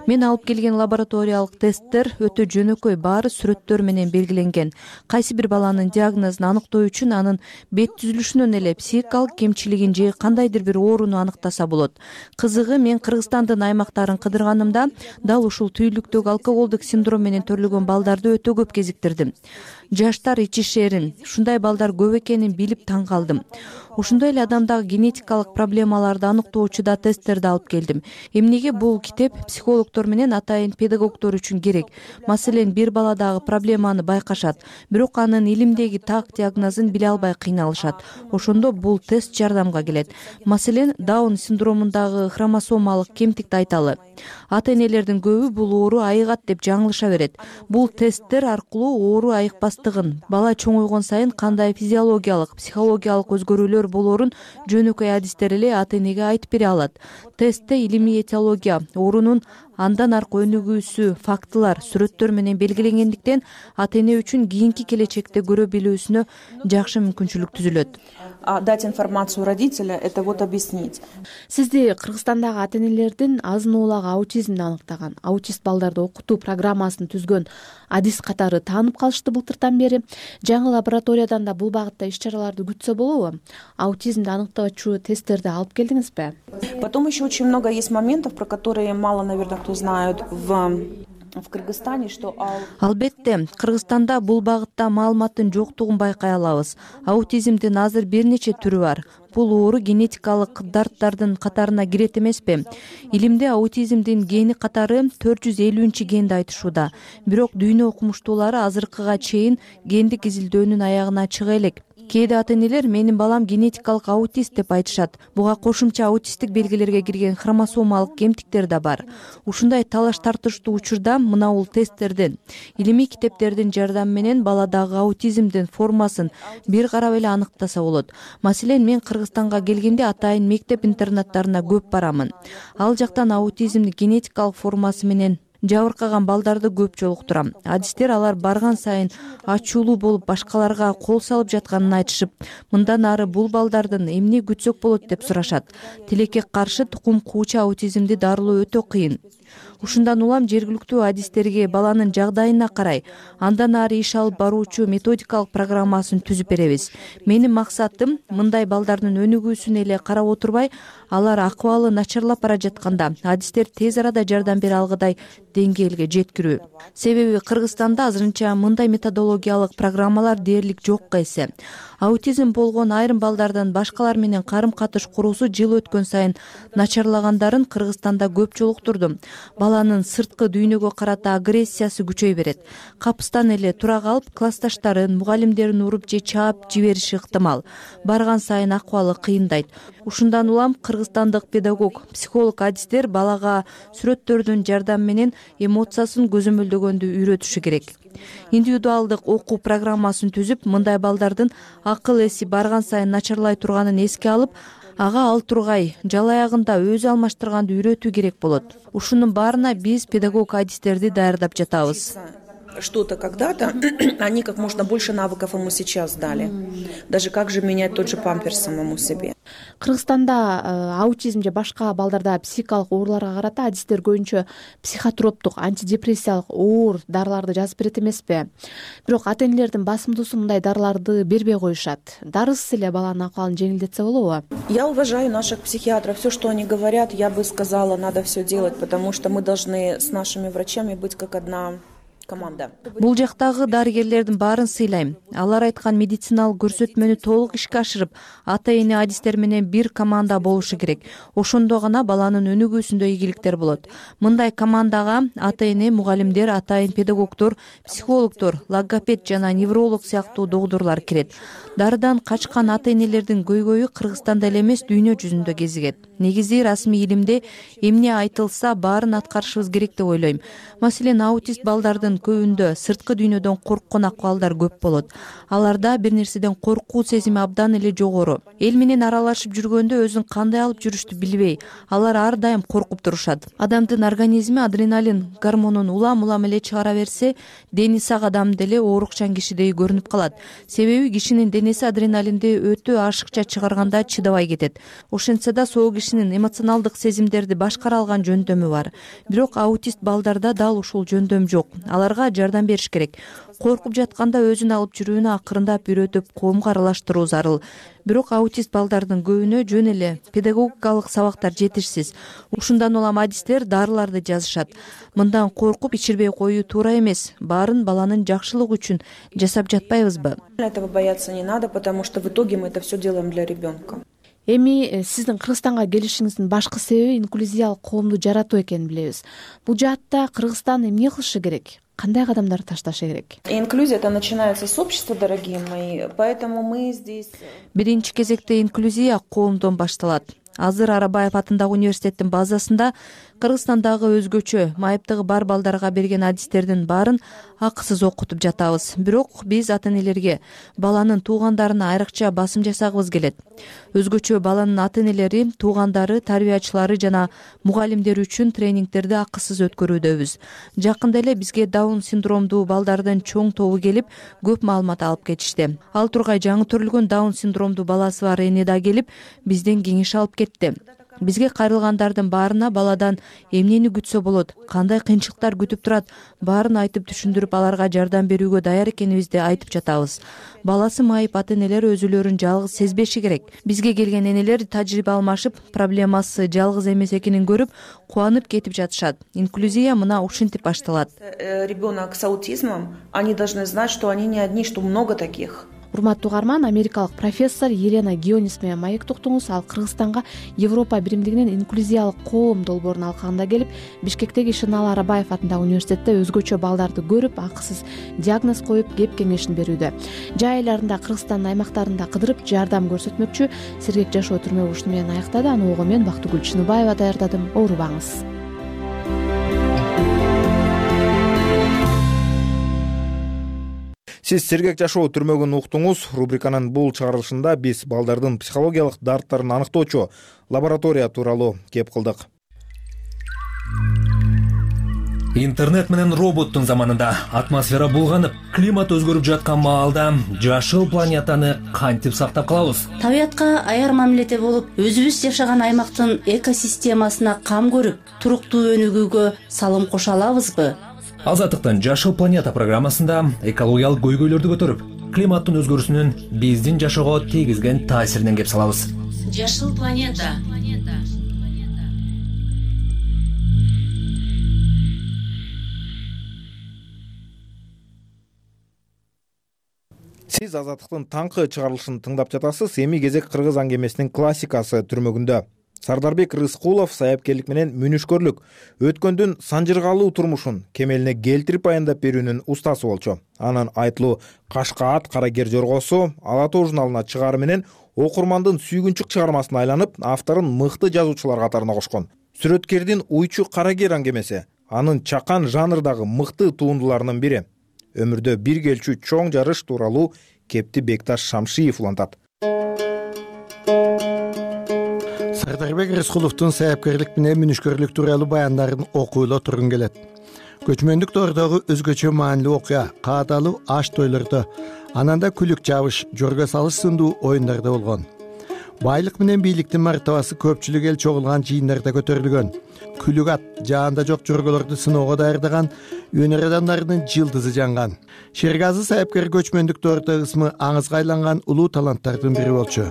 Мен алып келген лабораториялык тесттер өтө жөнөкөй, баары сүрөттөр менен белгиленген. Кайсы бир баланын диагнозун аныктоо үчүн анын бет түзүлүшүнөн эле психикалык кемчилигин же кандайдыр бир ооруну аныктаса болот. Кызыгы, мен Кыргызстандын аймактарын кыдырганымда дал ушул түйүлдүктөгү алкоголдук синдром менен төрөлгөн балдарды өтө көп кезиктирдим. Жаштар ичишерин, ушундай балдар көп экенин билип таң калдым. Ошондой эле адамдагы генетикалык проблемаларды аныктоочу да тесттерди алып келдим. Эмнеге бул китеп психологдор менен атайын педагогдор үчүн керек? Маселен, бир баладагы проблеманы байкашат, бирок анын илимдеги так диагнозун биле албай кыйналышат. Ошондо бул тест жардамга келет. Маселен, Даун синдромундагы хромосомалык кемтикти айталы. Ата-энелердин көбү бул оору айыгат деп жаңылыша берет. Бул тесттер аркылуу оору айыкпастыгын, бала чоңойгон сайын кандай физиологиялык, психологиялык өзгөрүүлөр болорун жөнөкөй адистер эле ата-энеге айтып бере алат. Тестте илимий этиология, оорунун андан аркы өнүгүүсү, фактылар, сүрөттөр менен белгиленгендиктен ата-эне үчүн кийинки келечекте көрө билүүсүнө жакшы мүмкүнчүлүк түзүлөт. Дать информацию родителя — это вот объяснить. Сизди Кыргызстандагы ата-энелердин азын-оолагы аутизмди аныктаган, аутист балдарды окутуу программасын түзгөн адис катары таанып калышты былтыртан бери. Жаңы лабораториядан да бул багытта иш-чараларды күтсө болобу? Аутизмди аныктоочу тесттерди алып келдиңизби? Потом еще очень много есть моментов, про которые мало, наверное, кто знает в Кыргызстане, что Албетте, Кыргызстанда бул багытта маалыматтын жоктугун байкай алабыз. Аутизмдин азыр бир нече түрү бар. Бул оору генетикалык дарттардын катарына кирет эмеспи? Илимде аутизмдин гени катары 450 генди айтышууда. Бирок дүйнө окумуштуулары азыркыга чейин гендик изилдөөнүн аягына чыга элек. Кээде ата-энелер менин балам генетикалык аутист деп айтышат. Буга кошумча аутисттик белгилерге кирген хромосомалык кемтиктер да бар. Ушундай талаш тартыштуу учурда мына бул тесттердин, илимий китептердин жардамы менен баладагы аутизмдин формасын бир карап эле аныктаса болот. Маселен, мен Кыргызстанга келгенде атайын мектеп-интернаттарына көп барамын. Ал жактан аутизмдин генетикалык формасы менен жабыркаган балдарды көп жолуктурам. Адистер алар барган сайын ачуулуу болуп, башкаларга кол салып жатканын айтышып, мындан ары бул балдардын эмне күтсөк болот деп сурашат. Тилекке каршы тукум куучу аутизмди дарылоо өтө кыйын. Ушундан улам жергиликтүү адистерге баланын жагдайына карай, андан ары иш алып баруучу методикалык программасын түзүп беребиз. Менин максатым мындай балдардын өнүгүүсүнө эле карап отурбай, алар акыбалы начарлап бара жатканда адистер тез арада жардам бере алгыдай деңгээлге жеткирүү. Себеби Кыргызстанда азырынча мындай методологиялык программалар дээрлик жокко эсе. Аутизм болгон айрым балдардын башкалар менен карым-катыш куруусу жыл өткөн сайын начарлагандарын Кыргызстанда көп жолуктурдум. Баланын сырткы дүйнөгө карата агрессиясы күчөй берет. Капыстан эле тура калып, классташтарын, мугалимдерин уруп же чаап жибериши ыктымал. Барган сайын акыбалы кыйындайт. Ушундан улам кыргызстандык педагог, психолог адистер балага сүрөттөрдүн жардамы менен эмоциясын көзөмөлдөгөндү үйрөтүшү керек. Индивидуалдык окуу программасын түзүп, мындай балдардын акыл эси барган сайын начарлай турганын эске алып, ага ал тургай, жал аягында өзү алмаштырганды үйрөтүү керек болот. Ушунун баарына биз педагог адистерди даярдап жатабыз. Что-то когда-то, они как можно больше навыков ему сейчас дали. Даже как же менять тот же памперс самому себе. Кыргызстанда аутизм же башка балдарда психикалык ооруларга карата адистер көбүнчө психотроптук, антидепрессиялык оор дарыларды жазып берет эмеспи? Бирок ата-энелердин басымдуусу мындай дарыларды бербей коюшат. Дарысыз эле баланын акыбалын жеңилдетсе болобу? Я уважаю наших психиатров. Все, что они говорят, я бы сказала, надо все делать, потому что мы должны с нашими врачами быть как одна команда. Бул жактагы дарыгерлердин баарын сыйлайм. Алар айткан медициналык көрсөтмөнү толук ишке ашырып, ата-эне адистер менен бир команда болушу керек. Ошондо гана баланын өнүгүүсүндө ийгиликтер болот. Мындай командага ата-эне, мугалимдер, атайын педагогдор, психологдор, логопед жана невролог сыяктуу докторлор кирет. Дарыдан качкан ата-энелердин көйгөйү Кыргызстанда эле эмес, дүйнө жүзүндө кезигет. Негизи расмий илимде эмне айтылса баарын аткарышыбыз керек деп ойлойм. Маселен, аутист балдардын көбүндө сырткы дүйнөдөн корккон акыбалдар көп болот. Аларда бир нерседен коркуу сезими абдан эле жогору. Эл менен аралашып жүргөндө өзүн кандай алып жүрүштү билбей, алар ар дайым коркуп турушат. Адамдын организми адреналин гормонун улам эле чыгара берсе, дени сак адам деле оорукчан кишидей көрүнүп калат. Себеби кишинин денеси адреналинди өтө ашыкча чыгарганда чыдабай кетет. Ошентсе да соо кишинин эмоционалдык сезимдерди башкара алган жөндөмү бар. Бирок аутист балдарда дал ушул жөндөм жок. Аларга жардам бериш керек. Коркуп жатканда өзүн алып жүрүүнү акырындап үйрөтүп, коомго аралаштыруу зарыл. Бирок аутист балдардын көбүнө жөн эле педагогикалык сабактар жетишсиз. Ушундан улам адистер дарыларды жазышат. Мындан коркуп ичирбей коюу туура эмес. Баарын баланын жакшылыгы үчүн жасап жатпайбызбы? Этого бояться не надо, потому что в итоге мы это все делаем для ребенка. Эми сиздин Кыргызстанга келишиңиздин башкы себеби инклюзиялык коомду жаратуу экенин билебиз. Бул жаатта Кыргызстан эмне кылышы керек? Кандай кадамдарды ташташы керек? Инклюзия это начинается с общества, дорогие мои, поэтому мы здесь. Биринчи кезекте инклюзия коомдон башталат. Азыр Арабаев атындагы университеттин базасында Кыргызстандагы өзгөчө майыптыгы бар балдарга берген адистердин баарын акысыз окутуп жатабыз. Бирок биз ата-энелерге баланын туугандарына айрыкча басым жасагыбыз келет. Өзгөчө баланын ата-энелери, туугандары, тарбиячылары жана мугалимдери үчүн тренингтерди акысыз өткөрүүдөбүз. Жакында эле бизге Даун синдромдуу балдардын чоң тобу келип, көп маалымат алып кетишти. Ал тургай жаңы төрөлгөн Даун синдромдуу баласы бар эне да келип, бизден кеңеш алып кетти. Бизге кайрылгандардын баарына баладан эмнени күтсө болот, кандай кыйынчылыктар күтүп турат, баарын айтып түшүндүрүп, аларга жардам берүүгө даяр экенибизди айтып жатабыз. Баласы майып ата-энелер өзүлөрүн жалгыз сезбеши керек. Бизге келген энелер тажрыйба алмашып, проблемасы жалгыз эмес экенин көрүп, кубанып кетип жатышат. Инклюзия мына ушинтип башталат. Ребенок с аутизмом, они должны знать, что они не одни, что много таких. Урматтуу угарман, америкалык профессор Елена Гионис менен маектоктуңуз. Ал Кыргызстанга Европа биримдигинин инклюзиялык коом долбоорун алкагында келип, Бишкектеги Шынал Арабаев атындагы университетте өзгөчө балдарды көрүп, акысыз диагноз коюп, кеп кеңешин берүүдө. Жай айларында Кыргызстандын аймактарында кыдырып жардам көрсөтмөкчү. Сергек жашоо түрмө ушуну менен аяктады. Аны угуу мен Бактыгүл Чыныбаева даярдадым. Оорубаңыз. Сиз сергек жашоо түрмөгүн уктуңуз. Рубриканын бул чыгарылышында биз балдардын психологиялык дарттарын аныктоочу лаборатория тууралуу кеп кылдык. Интернет менен роботтун заманында атмосфера булганып, климат өзгөрүп жаткан маалда жашыл планетаны кантип сактап калабыз? Табиятка аяр мамиледе болуп, өзүбүз жашаган аймактын экосистемасына кам көрүп, туруктуу өнүгүүгө салым кошо алабызбы? Азаттыктын Жашыл планета программасында экологиялык көйгөйлөрдү көтөрүп, климаттын өзгөрүүсүнүн биздин жашоого тийгизген таасиринен кеп салабыз. Жашыл планета. Сиз Азаттыктын таңкы чыгарылышын тыңдап жатасыз. Эми кезек кыргыз аңгемесинин классикасы түрмөгүндө. Сардарбек Рыскулов саяпкерлик менен мүнүшкөрлүк өткөндүн санжыргалуу турмушун кемелине келтирип баяндап берүүнүн устасы болчу. Анын айтылуу Кашкаат Карагер жоргосу Ала Тоо журналына чыгаары менен окурмандын сүйгүнчүк чыгармасына айланып, авторун мыкты жазуучулар катарына кошкон. Сүрөткердин Уйчу Карагер аңгемеси анын чакан жанрдагы мыкты туындуларынын бири. Өмүрдө бир келчү чоң жарыш тууралуу кепти Бекташ Шамшиев улантат. Сардарбек Рыскуловдун саяпкерлик менен мүнүшкөрлүк тууралуу баяндарын окуйло тургун келет. Көчмөндүк доордогу өзгөчө маанилүү окуя каадалуу аш тойлордо, ананда күлүк жабыш, жорго салыш сындуу оюндарда болгон. Байлык менен бийликтин мартабасы көпчүлүк эл чогулган жыйындарда көтөрүлгөн. Күлүк ат, жаанда жок жорголорду сыноого даярдаган өнөр адамдарынын жылдызы жанган. Шергазы саяпкер көчмөндүк доордо ысмы аңызга айланган улуу таланттардын бири болчу.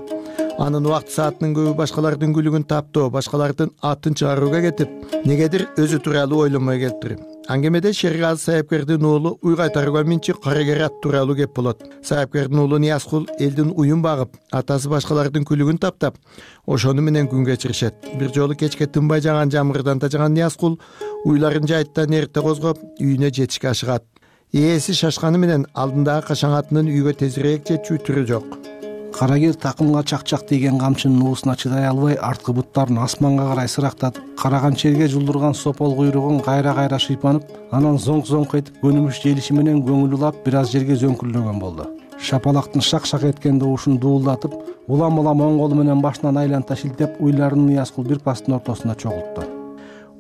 Анын убакыт саатынын көбү башкалардын күлүгүн таптоо, башкалардын атын чыгарууга кетип, негедир өзү тууралуу ойлонмой келиптир. Аңгемеде Шергазы саяпкердин уулу уй кайтарууга минчи Карагер ат тууралуу кеп болот. Саяпкердин уулу Ниязкул элдин уюн багып, атасы башкалардын күлүгүн таптап, ошону менен күн кечиришет. Бир жолу кечке тынбай жаган жамгырдан тажаган Ниязкул уйларын жайыттан эрте козгоп, үйүнө жетишке ашыгат. Ээси шашканы менен алдындагы кашаң атынын үйгө тезирээк жетчү түрү жок. Карагер такымга чакчак тийген камчынын уусуна чыдай албай арткы буттарын асманга карай сырактатып, караган черге жулдурган сопол куйругун кайра шыйпанып, анан зоңк этип көнүмүш желиши менен көңүл улап бир аз жерге зөңкүлдөгөн болду. Шапалактын шак эткен добушун дуулдатып, улам оң колу менен башынан айланта шилтеп, уйларын Ниязкул бир пасттын ортосунда чогултту.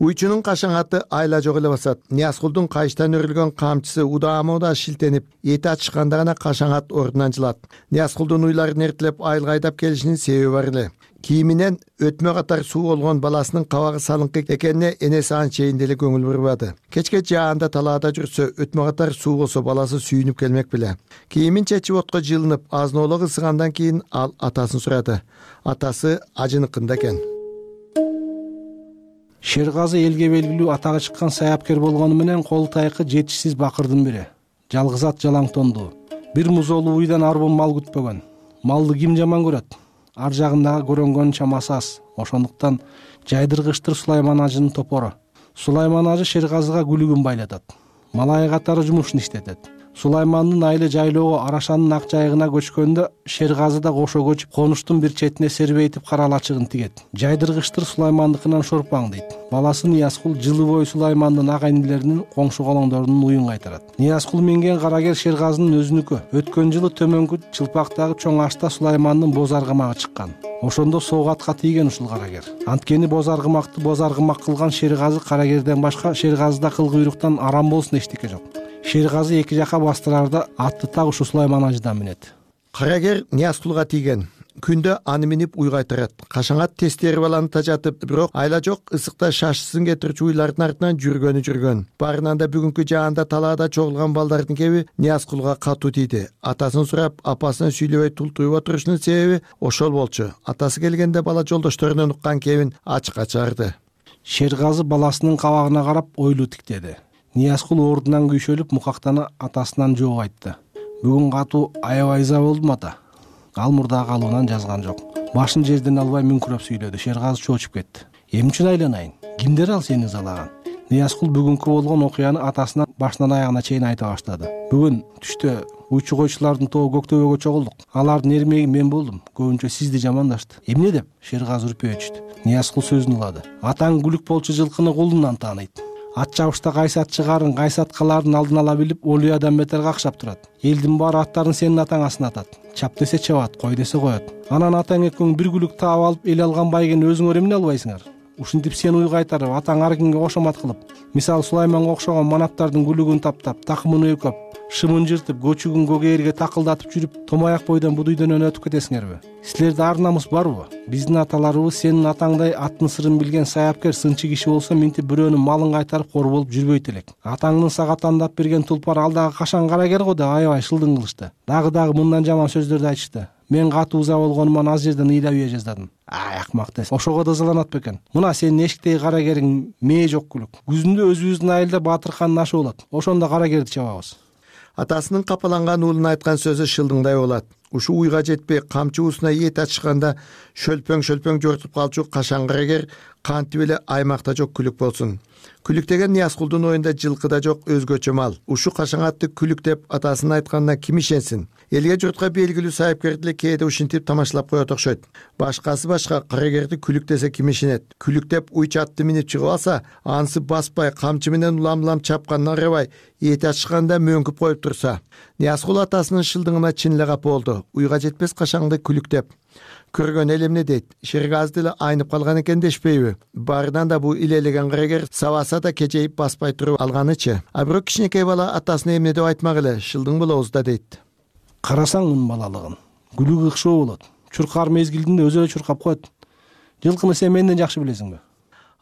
Уйчунун кашаңаты айла жок эле басат. Ниязкулдун кайчтан өрүлгөн камчысы удаама шилтенип, эти ачышканда гана кашаңат ордунан жылат. Ниязкулдун уйларын эртелеп айылга айдап келишинин себеби бар эле. Кийиминен өтмө катар суу болгон баласынын кабагы салыңкы экенине энеси анчейин деле көңүл бурбады. Кечке жаанда талаада жүрсө, өтмө катар суу болсо баласы сүйүнүп келмек беле. Кийимин чечип отко жылынып, азноолук ысыгандан кийин ал атасын сурады. Атасы ажыныкында экен. Шергазы элге белгилүү атага чыккан саяпкер болгону менен кол тайкы жетишсиз бакырдын бири. Жалгыз ат жалаң тондуу. Бир музолуу уйдан арбын мал күтпөгөн. Малды ким жаман көрөт? Ар жагындагы көрөнгөн чамасы аз. Ошондуктан жайдыргычтыр Сулайман ажынын топору. Сулайман ажы Шергазыга күлүгүн байлатат. Малай катары жумушун иштетет. Сулаймандын айылы жайлоого Арашанын ак жайыгына көчкөндө Шергазы да кошо көчүп, конуштун бир четине сербейтип каралачыгын тигет. Жайдыргычтыр Сулаймандыкынан шорпаң дейт. Баласы Ниязкул жылы бою Сулаймандын агайнилеринин, коңшу колоңдорунун уюн кайтарат. Ниязкул минген карагер Шергазынын өзүнүкү. Өткөн жылы төмөнкү чылпактагы чоң ашта Сулаймандын боз аргымагы чыккан. Ошондо соок атка тийген ушул карагер. Анткени боз аргымакты боз аргымак кылган Шергазы карагерден башка Шергазыда кыл куйруктан арам болсун эчтеке жок. Шергазы эки жака бастырарда атты так ушу Сулайман ажыдан минет. Карагер Ниязкулга тийген. Күндө аны минип уй кайтарат. Кашаңат тестери баланы тажатып, бирок айла жок, ысыкта шашысын кетирчү уйлардын артынан жүргөн. Барынан да бүгүнкү жаанда талаада чогулган балдардын кеби Ниязкулга катуу тийди. Атасын сурап, апасына сүйлөбөй тултуюп отурушунун себеби ошол болчу. Атасы келгенде бала жолдошторунан уккан кебин ачыкка чыгарды. Шергазы баласынын кабагына карап ойлуу тиктеди. Ниязкул ордунан күйшөлүп мукактана атасынан жооп айтты. Бүгүн катуу аябай ыза болдум ата. Ал мурда калуунан жазган жок. Башын жерден албай мүңкүрөп сүйлөдү. Шергазы чоочуп кетти. Эмне үчүн айланайын? Кимдер ал сени ызалаган? Ниязкул бүгүнкү болгон окуяны атасына башынан аягына чейин айта баштады. Бүгүн түштө уйчу койчулардын тобу Көктөбөгө чогулдук. Алардын эрмеги мен болдум. Көбүнчө сизди жамандашты. Эмне деп? Шергазы үрпөй өчтү. Ниязкул сөзүн улады. Атаң күлүк болчу жылкыны кулунан тааныйт. Ат чабышта кайсы чыгарын, кайсы аткалардын алдын ала билип, олуядан бетер какшап турат. Элдин баары аттарын сенин атаң асынатат. Чап десе чабат, кой десе коет. Анан атаң экөөң бир күлүк таап алып, эл алган байгени өзүңөр эмне албайсыңар? Ушинтип сен уй кайтарып, атаң ар кимге кошомат кылып, мисалы Сулайманга окшогон манаптардын күлүгүн таптап, такымын өйкөп, шымын жыртып, көчүгүн көгээрге такылдатып жүрүп, томаяк бойдон будуйдон өнөтүп кетесиңерби? Силерде ар намыс барбы? Биздин аталарыбыз сенин атаңдай аттын сырын билген саяпкер, сынчы киши болсо минтип бирөөнүн малын кайтарып кор болуп жүрбөйт элек. Атаңдын сага тандап берген тулпар алдагы кашаң карагер го деп аябай шылдың кылышты. Дагы мындан жаман сөздөрдү айтышты. Мен катуу ыза болгонуман аз жерден ыйлап үйө жаздадым. Ай акмак дес. Ошого да ызаланат бекен. Мына сенин эшиктеги карагериң мээ жок күлүк. Күзүндө өзүбүздүн айылда Батыркандын ашы болот. Ошондо карагерди чабабыз. Атасынын капаланган уулун айткан сөзү шылдыңдай болот. Ушу уйга жетпей камчы уусуна эт ачышканда шөлпөң жортуп калчу кашаң карагер кантип эле аймакта жок күлүк болсун. Күлүк деген Ниязкулдун оюнда жылкыда жок өзгөчө мал. Ушу кашаңатты күлүк деп атасынын айтканына ким ишенсин? Элге журтка белгилүү сайыпкерди эле кээде ушинтип тамашалап коет окшойт. Башкасы башка, карагерди күлүк десе ким ишенет? Күлүк деп уйчу атты минип чыгып алса, анысы баспай, камчы менен улам чапканына карабай, эти ачышканда мөңкүп коюп турса. Ниязкул атасынын шылдыңына чын эле капа болду. Уйга жетпес кашаңды күлүк деп көргөн эл эмне дейт? Шергазы деле айнып калган экен дешпейби? Барынан да бул илелеген карагер сабаса да кечейип баспай туруп алганычы. А бирок кичинекей бала атасына эмне деп айтмак эле, шылдың болобуз да дейт. Карасаң мунун балалыгын. Күлүгү ыкшоо болот. Чуркар мезгилинде өзү эле чуркап коет. Жылкыны сен менден жакшы билесиңби?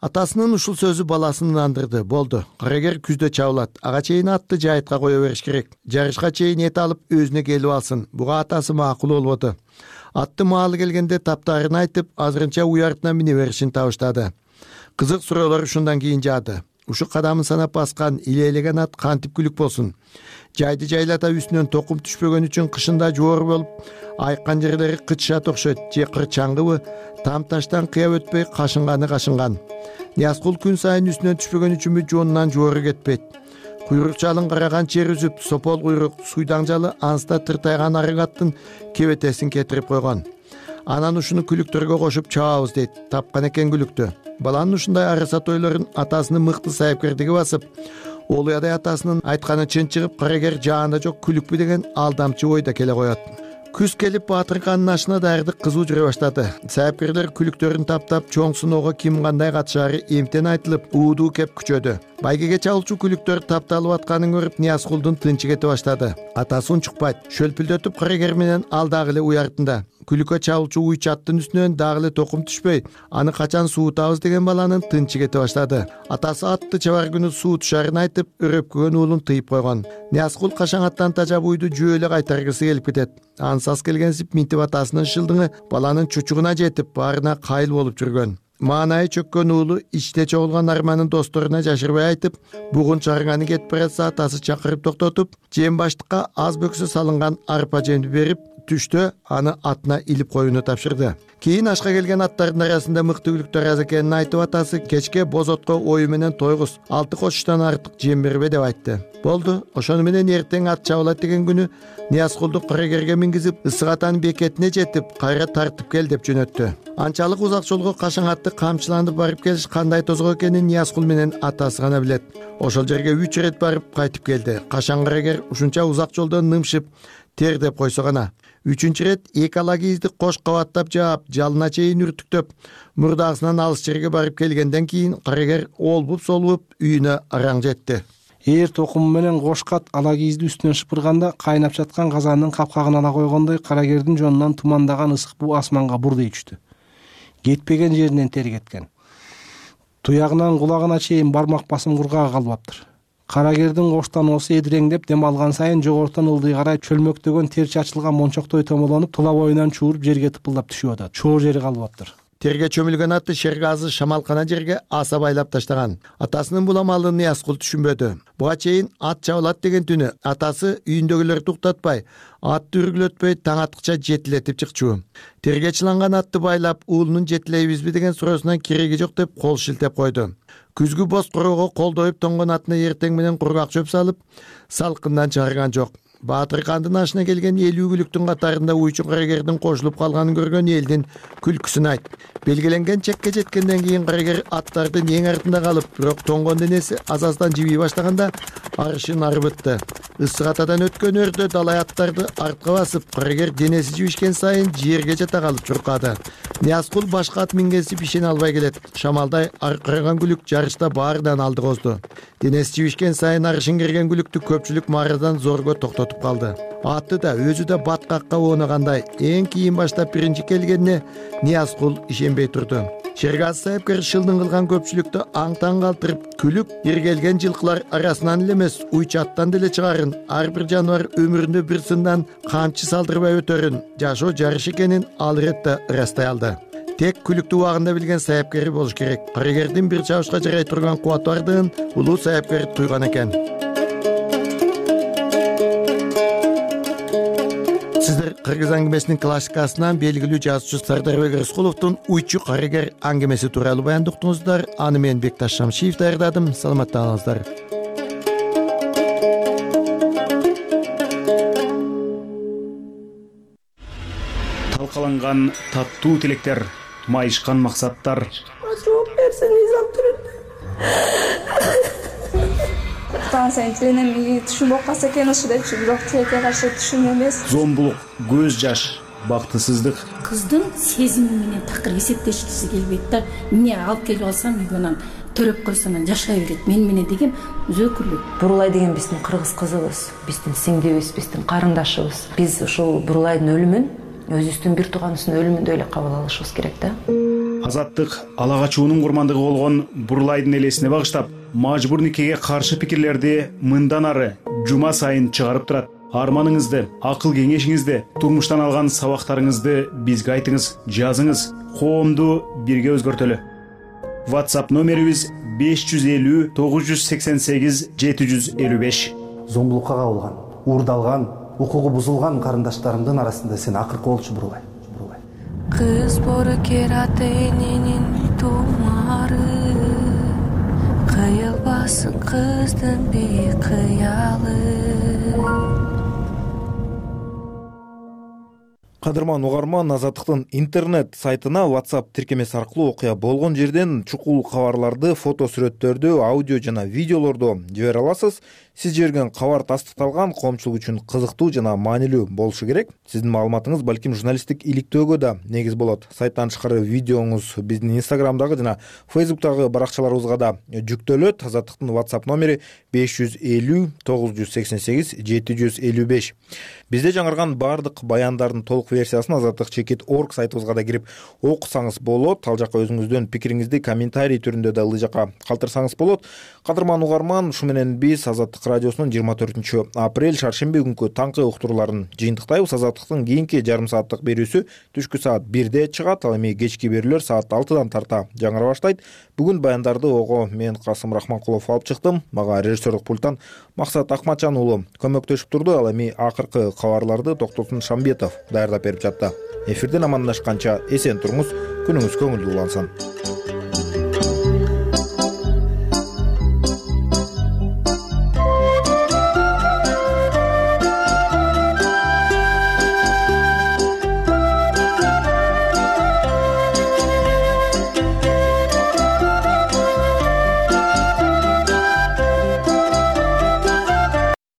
Атасынын ушул сөзү баласын ындандырды. Болду. Карагер күздө чабылат. Ага чейин атты жайытка кое бериш керек. Жарышка чейин эт алып өзүнө келип алсын. Буга атасы макул болбоду. Атты маалы келгенде таптарын айтып, азырынча уй артына мине беришин табыштады. Кызык суроолор ушундан кийин жаады. Ушу кадамын санап баскан илейлеген ат кантип күлүк болсун? Жайды жайлата үстүнөн токум түшпөгөн үчүн кышында жоор болуп, айккан жерлери кычышат окшойт, же кырчаңгыбы, там таштан кыяп өтпөй кашынган. Ниязкул күн сайын үстүнөн түшпөгөн үчүнбү жоонунан жоору кетпейт. куйрук жалын караган чер үзүп, сопол куйрук суйдаң жалы анста тыртайган арык аттын кебетесин кетирип койгон. Анан ушуну күлүктөргө кошуп чабабыз дейт. Тапкан экен күлүктү. Баланын ушундай арыса тойлорун атасынын мыкты сайыпкердиги басып, Олуядай атасынын айтканы чын чыгып, карагер жаанда жок күлүкпү деген алдамчы ойда келе коет. Күз келип Батырканын ашына даярдык кызуу жүрө баштады. Сайыпкерлер күлүктөрүн таптап, чоң сыноого ким кандай катышаары эмтен айтылып, уудуу кеп күчөдү. Байгеге чалуучу күлүктөр тапталып атканын көрүп, Ниязкулдун тынчы кете баштады. Атасы унчукпайт, шөлпүлдөтүп карагер менен ал дагы эле уяртында. Күлүккө чалуучу уйчу аттын үстүнөн дагы эле токум түшпөй, аны качан суутабыз деген баланын тынчы кете баштады. Атасы атты чабар күнү суутушарын айтып, өрөпкөгөн уулун тыйып койгон. Ниязкул кашаң аттан тажап уйду жөө эле кайтаргысы келип кетет. Ансас келгенсип минтип атасынын шылдыңы баланын чучугуна жетип, баарына кайыл болуп жүргөн. Маанайы чөккөн уулу ичте чогулган арманын досторуна жашырбай айтып, бугун чарыганы кетип баратса атасы чакырып токтотуп, жем баштыкка аз бөксө салынган арпа жемди берип, түштө аны атына илип коюуну тапшырды. Кийин ашка келген аттардын арасында мыкты күлүктөр аз экенин айтып, атасы кечке бозотко ою менен тойгуз, 6 кошуштан артык жем бербе деп айтты. Болду, ошону менен эртең ат чабылат деген күнү Ниязкулду карагерге мингизип, ысык атанын бекетине жетип, кайра тартып кел деп жөнөттү. Анчалык узак жолго кашаң атты камчыланып барып келиш кандай тозгоо экенин Ниязкул менен атасы гана билет. Ошол жерге 3 ирет барып кайтып келди. Кашаң карагер ушунча узак жолдон нымшып, тер деп койсо гана. 3-чү ирет 2 ала кийизди кош кабаттап жаап, жалына чейин үртүктөп, мурдагысынан алыс жерге барып келгенден кийин карагер олбуп-солбуп үйүнө араң жетти. Ээр токуму менен кош кат ала кийизди үстүнөн шыпырганда, кайнап жаткан казандын капкагын ала койгондой карагердин жонунан тумандаган ысык буу асманга бурдей түштү. Кетпеген жеринен тер кеткен. Туягынан кулагына чейин бармак басым кургак калбаптыр. Карагердин коштануусу эдиреңдеп, дем алган сайын жогорутан ылдый карай чөлмөктөгөн тер чачылган мончоктой томолонуп, тула боюнан чууруп жерге тыпылдап түшүп атат. Чоо жери калбаптыр. Терге чөмүлгөн аты шергазы шамалкана жерге аса байлап таштаган. Атасынын бул амалын Ниязкул түшүнбөдү. Буга чейин ат чабылат деген түнү атасы үйүндөгүлөрдү уктатпай, атты үргүлөтпөй таң аткыча жетилетип чыкчу. Терге чыланган атты байлап, уулунун жетилейбизби деген суроосунан кереги жок деп кол шилтеп койду. Күзгү боз короого колдоюп тонгон атына эртең менен кургак чөп салып, салкындан чыгарган жок. Батыркандын ашына келген 50 күлүктүн катарында уйчу карагердин кошулуп калганын көргөн элдин күлкүсүн айт. Белгиленген чекке жеткенден кийин карагер аттардын эң артында калып, бирок тонгон денеси аз-аздан жибий баштаганда арышын арбытты. Ысык атадан өткөн өрдө далай аттарды артка басып, карагер денеси жибишкен сайын жерге жата калып чуркады. Ниязкул башка ат мингенсип ишене албай келет. Шамалдай аркыраган күлүк жарышта баарынан алды козду. Денеси жибишкен сайын арышын кирген күлүктү көпчүлүк маарадан зорго токтотуп калды. Аты да өзү да баткакка оонагандай эң кийин баштап биринчи келгенине Ниязкул ишенбей турду. Шергаз сайыпкер шылдың кылган көпчүлүктү аң-таң калтырып, күлүп иргелген жылкылар арасынан эле эмес, уйчу аттан деле чыгарын, ар бир жаныбар өмүрүндө бир сындан камчы салдырбай өтөрүн, жашоо жарыш экенин ал иретте ырастай алды. Тек күлүктү убагында билген сайыпкери болуш керек. Карагердин бир чабышка жарай турган кубаты бардыгын улуу сайыпкер туйган экен. Сиздер Кыргыз аңгемесинин классикасынан белгилүү жазуучу Сардарбек Рыскуловдун уйчу карагер аңгемеси тууралуу баяндап уктуңуздар. Аны мен Бекташ Шамшиев даярдадым. Саламатта калыңыздар. Талкаланган таттуу тилектер, майышкан максаттар. Жооп берсең сен тилине түшүнбөй калса экен ушу депчи, бирок тилекке каршы түшүн эмес. Зомбулук, көз жаш, бактысыздык. Кыздын сезими менен такыр эсептешкиси келбейт да. Эмне алып келип алсам үйгө төрөп койсом жашай берет. Мен менен деген өзөкүлүк. Бурулай деген биздин кыргыз кызыбыз, биздин сиңдибиз, биздин карындашыбыз. Биз ушул Бурулайдын өлүмүн өзүбүздүн бир тууганыбыздын өлүмүндөй эле кабыл алышыбыз керек да. Азаттык ала качуунун курмандыгы болгон Бурулайдын элесине багыштап, мажбур никеге каршы пикирлерди мындан ары жума сайын чыгарып турат. Арманыңызды, акыл кеңешиңизди, турмуштан алган сабактарыңызды бизге айтыңыз, жазыңыз. Коомду бирге өзгөртөлү. WhatsApp номерибиз 550 988 755. Зомбулукка кабылган, уурдалган, укугу бузулган карындаштарымдын арасында сен акыркы болчу Бурулай. Кыз боркер ата эненин тумары, кыйылбай калсын кыздын бейкыялы. Кадырман угарман, Азаттыктын интернет сайтына WhatsApp тиркемеси аркылуу окуя болгон жерден чукул кабарларды, фото сүрөттөрдү, аудио жана видеолорду жибере аласыз. Сиз жиберген кабар тастыкталган, коомчулук үчүн кызыктуу жана маанилүү болушу керек. Сиздин маалыматыңыз балким журналисттик иликтөөгө да негиз болот. Сайттан тышкары видеоңуз биздин Instagramдагы жана Facebook'тагы баракчаларыбызга да жүктөлөт. Азаттыктын WhatsApp номери 550 988 755. Бизде жаңырган баардык баяндардын толук версиясын azattik.org сайтыбызга да кирип окусаңыз болот. Ал жака өзүңүздүн пикириңизди комментарий түрүндө да ылдый жака калтырсаңыз болот. Кадырман угарман, ушу менен биз Азаттык радиосунун 24 апрель шаршемби күнкү таңкы уктурууларын жыйынтыктайбыз. Азаттыктын кийинки жарым сааттык берүүсү түшкү саат 1де чыгат. Ал эми кечки берүүлөр саат 6дан тарта жаңыра баштайт. Бүгүн баяндарды ого мен Касым Рахманкулов алып чыктым. Мага режиссерлук пульттан Максат Акматжан уулу көмөктөшүп турду. Ал эми акыркы кабарларды Токтосун Шамбетов даярдап берип жатты. Эфирден амандашканча эсен туруңуз, күнүңүз көңүлдүү улансын.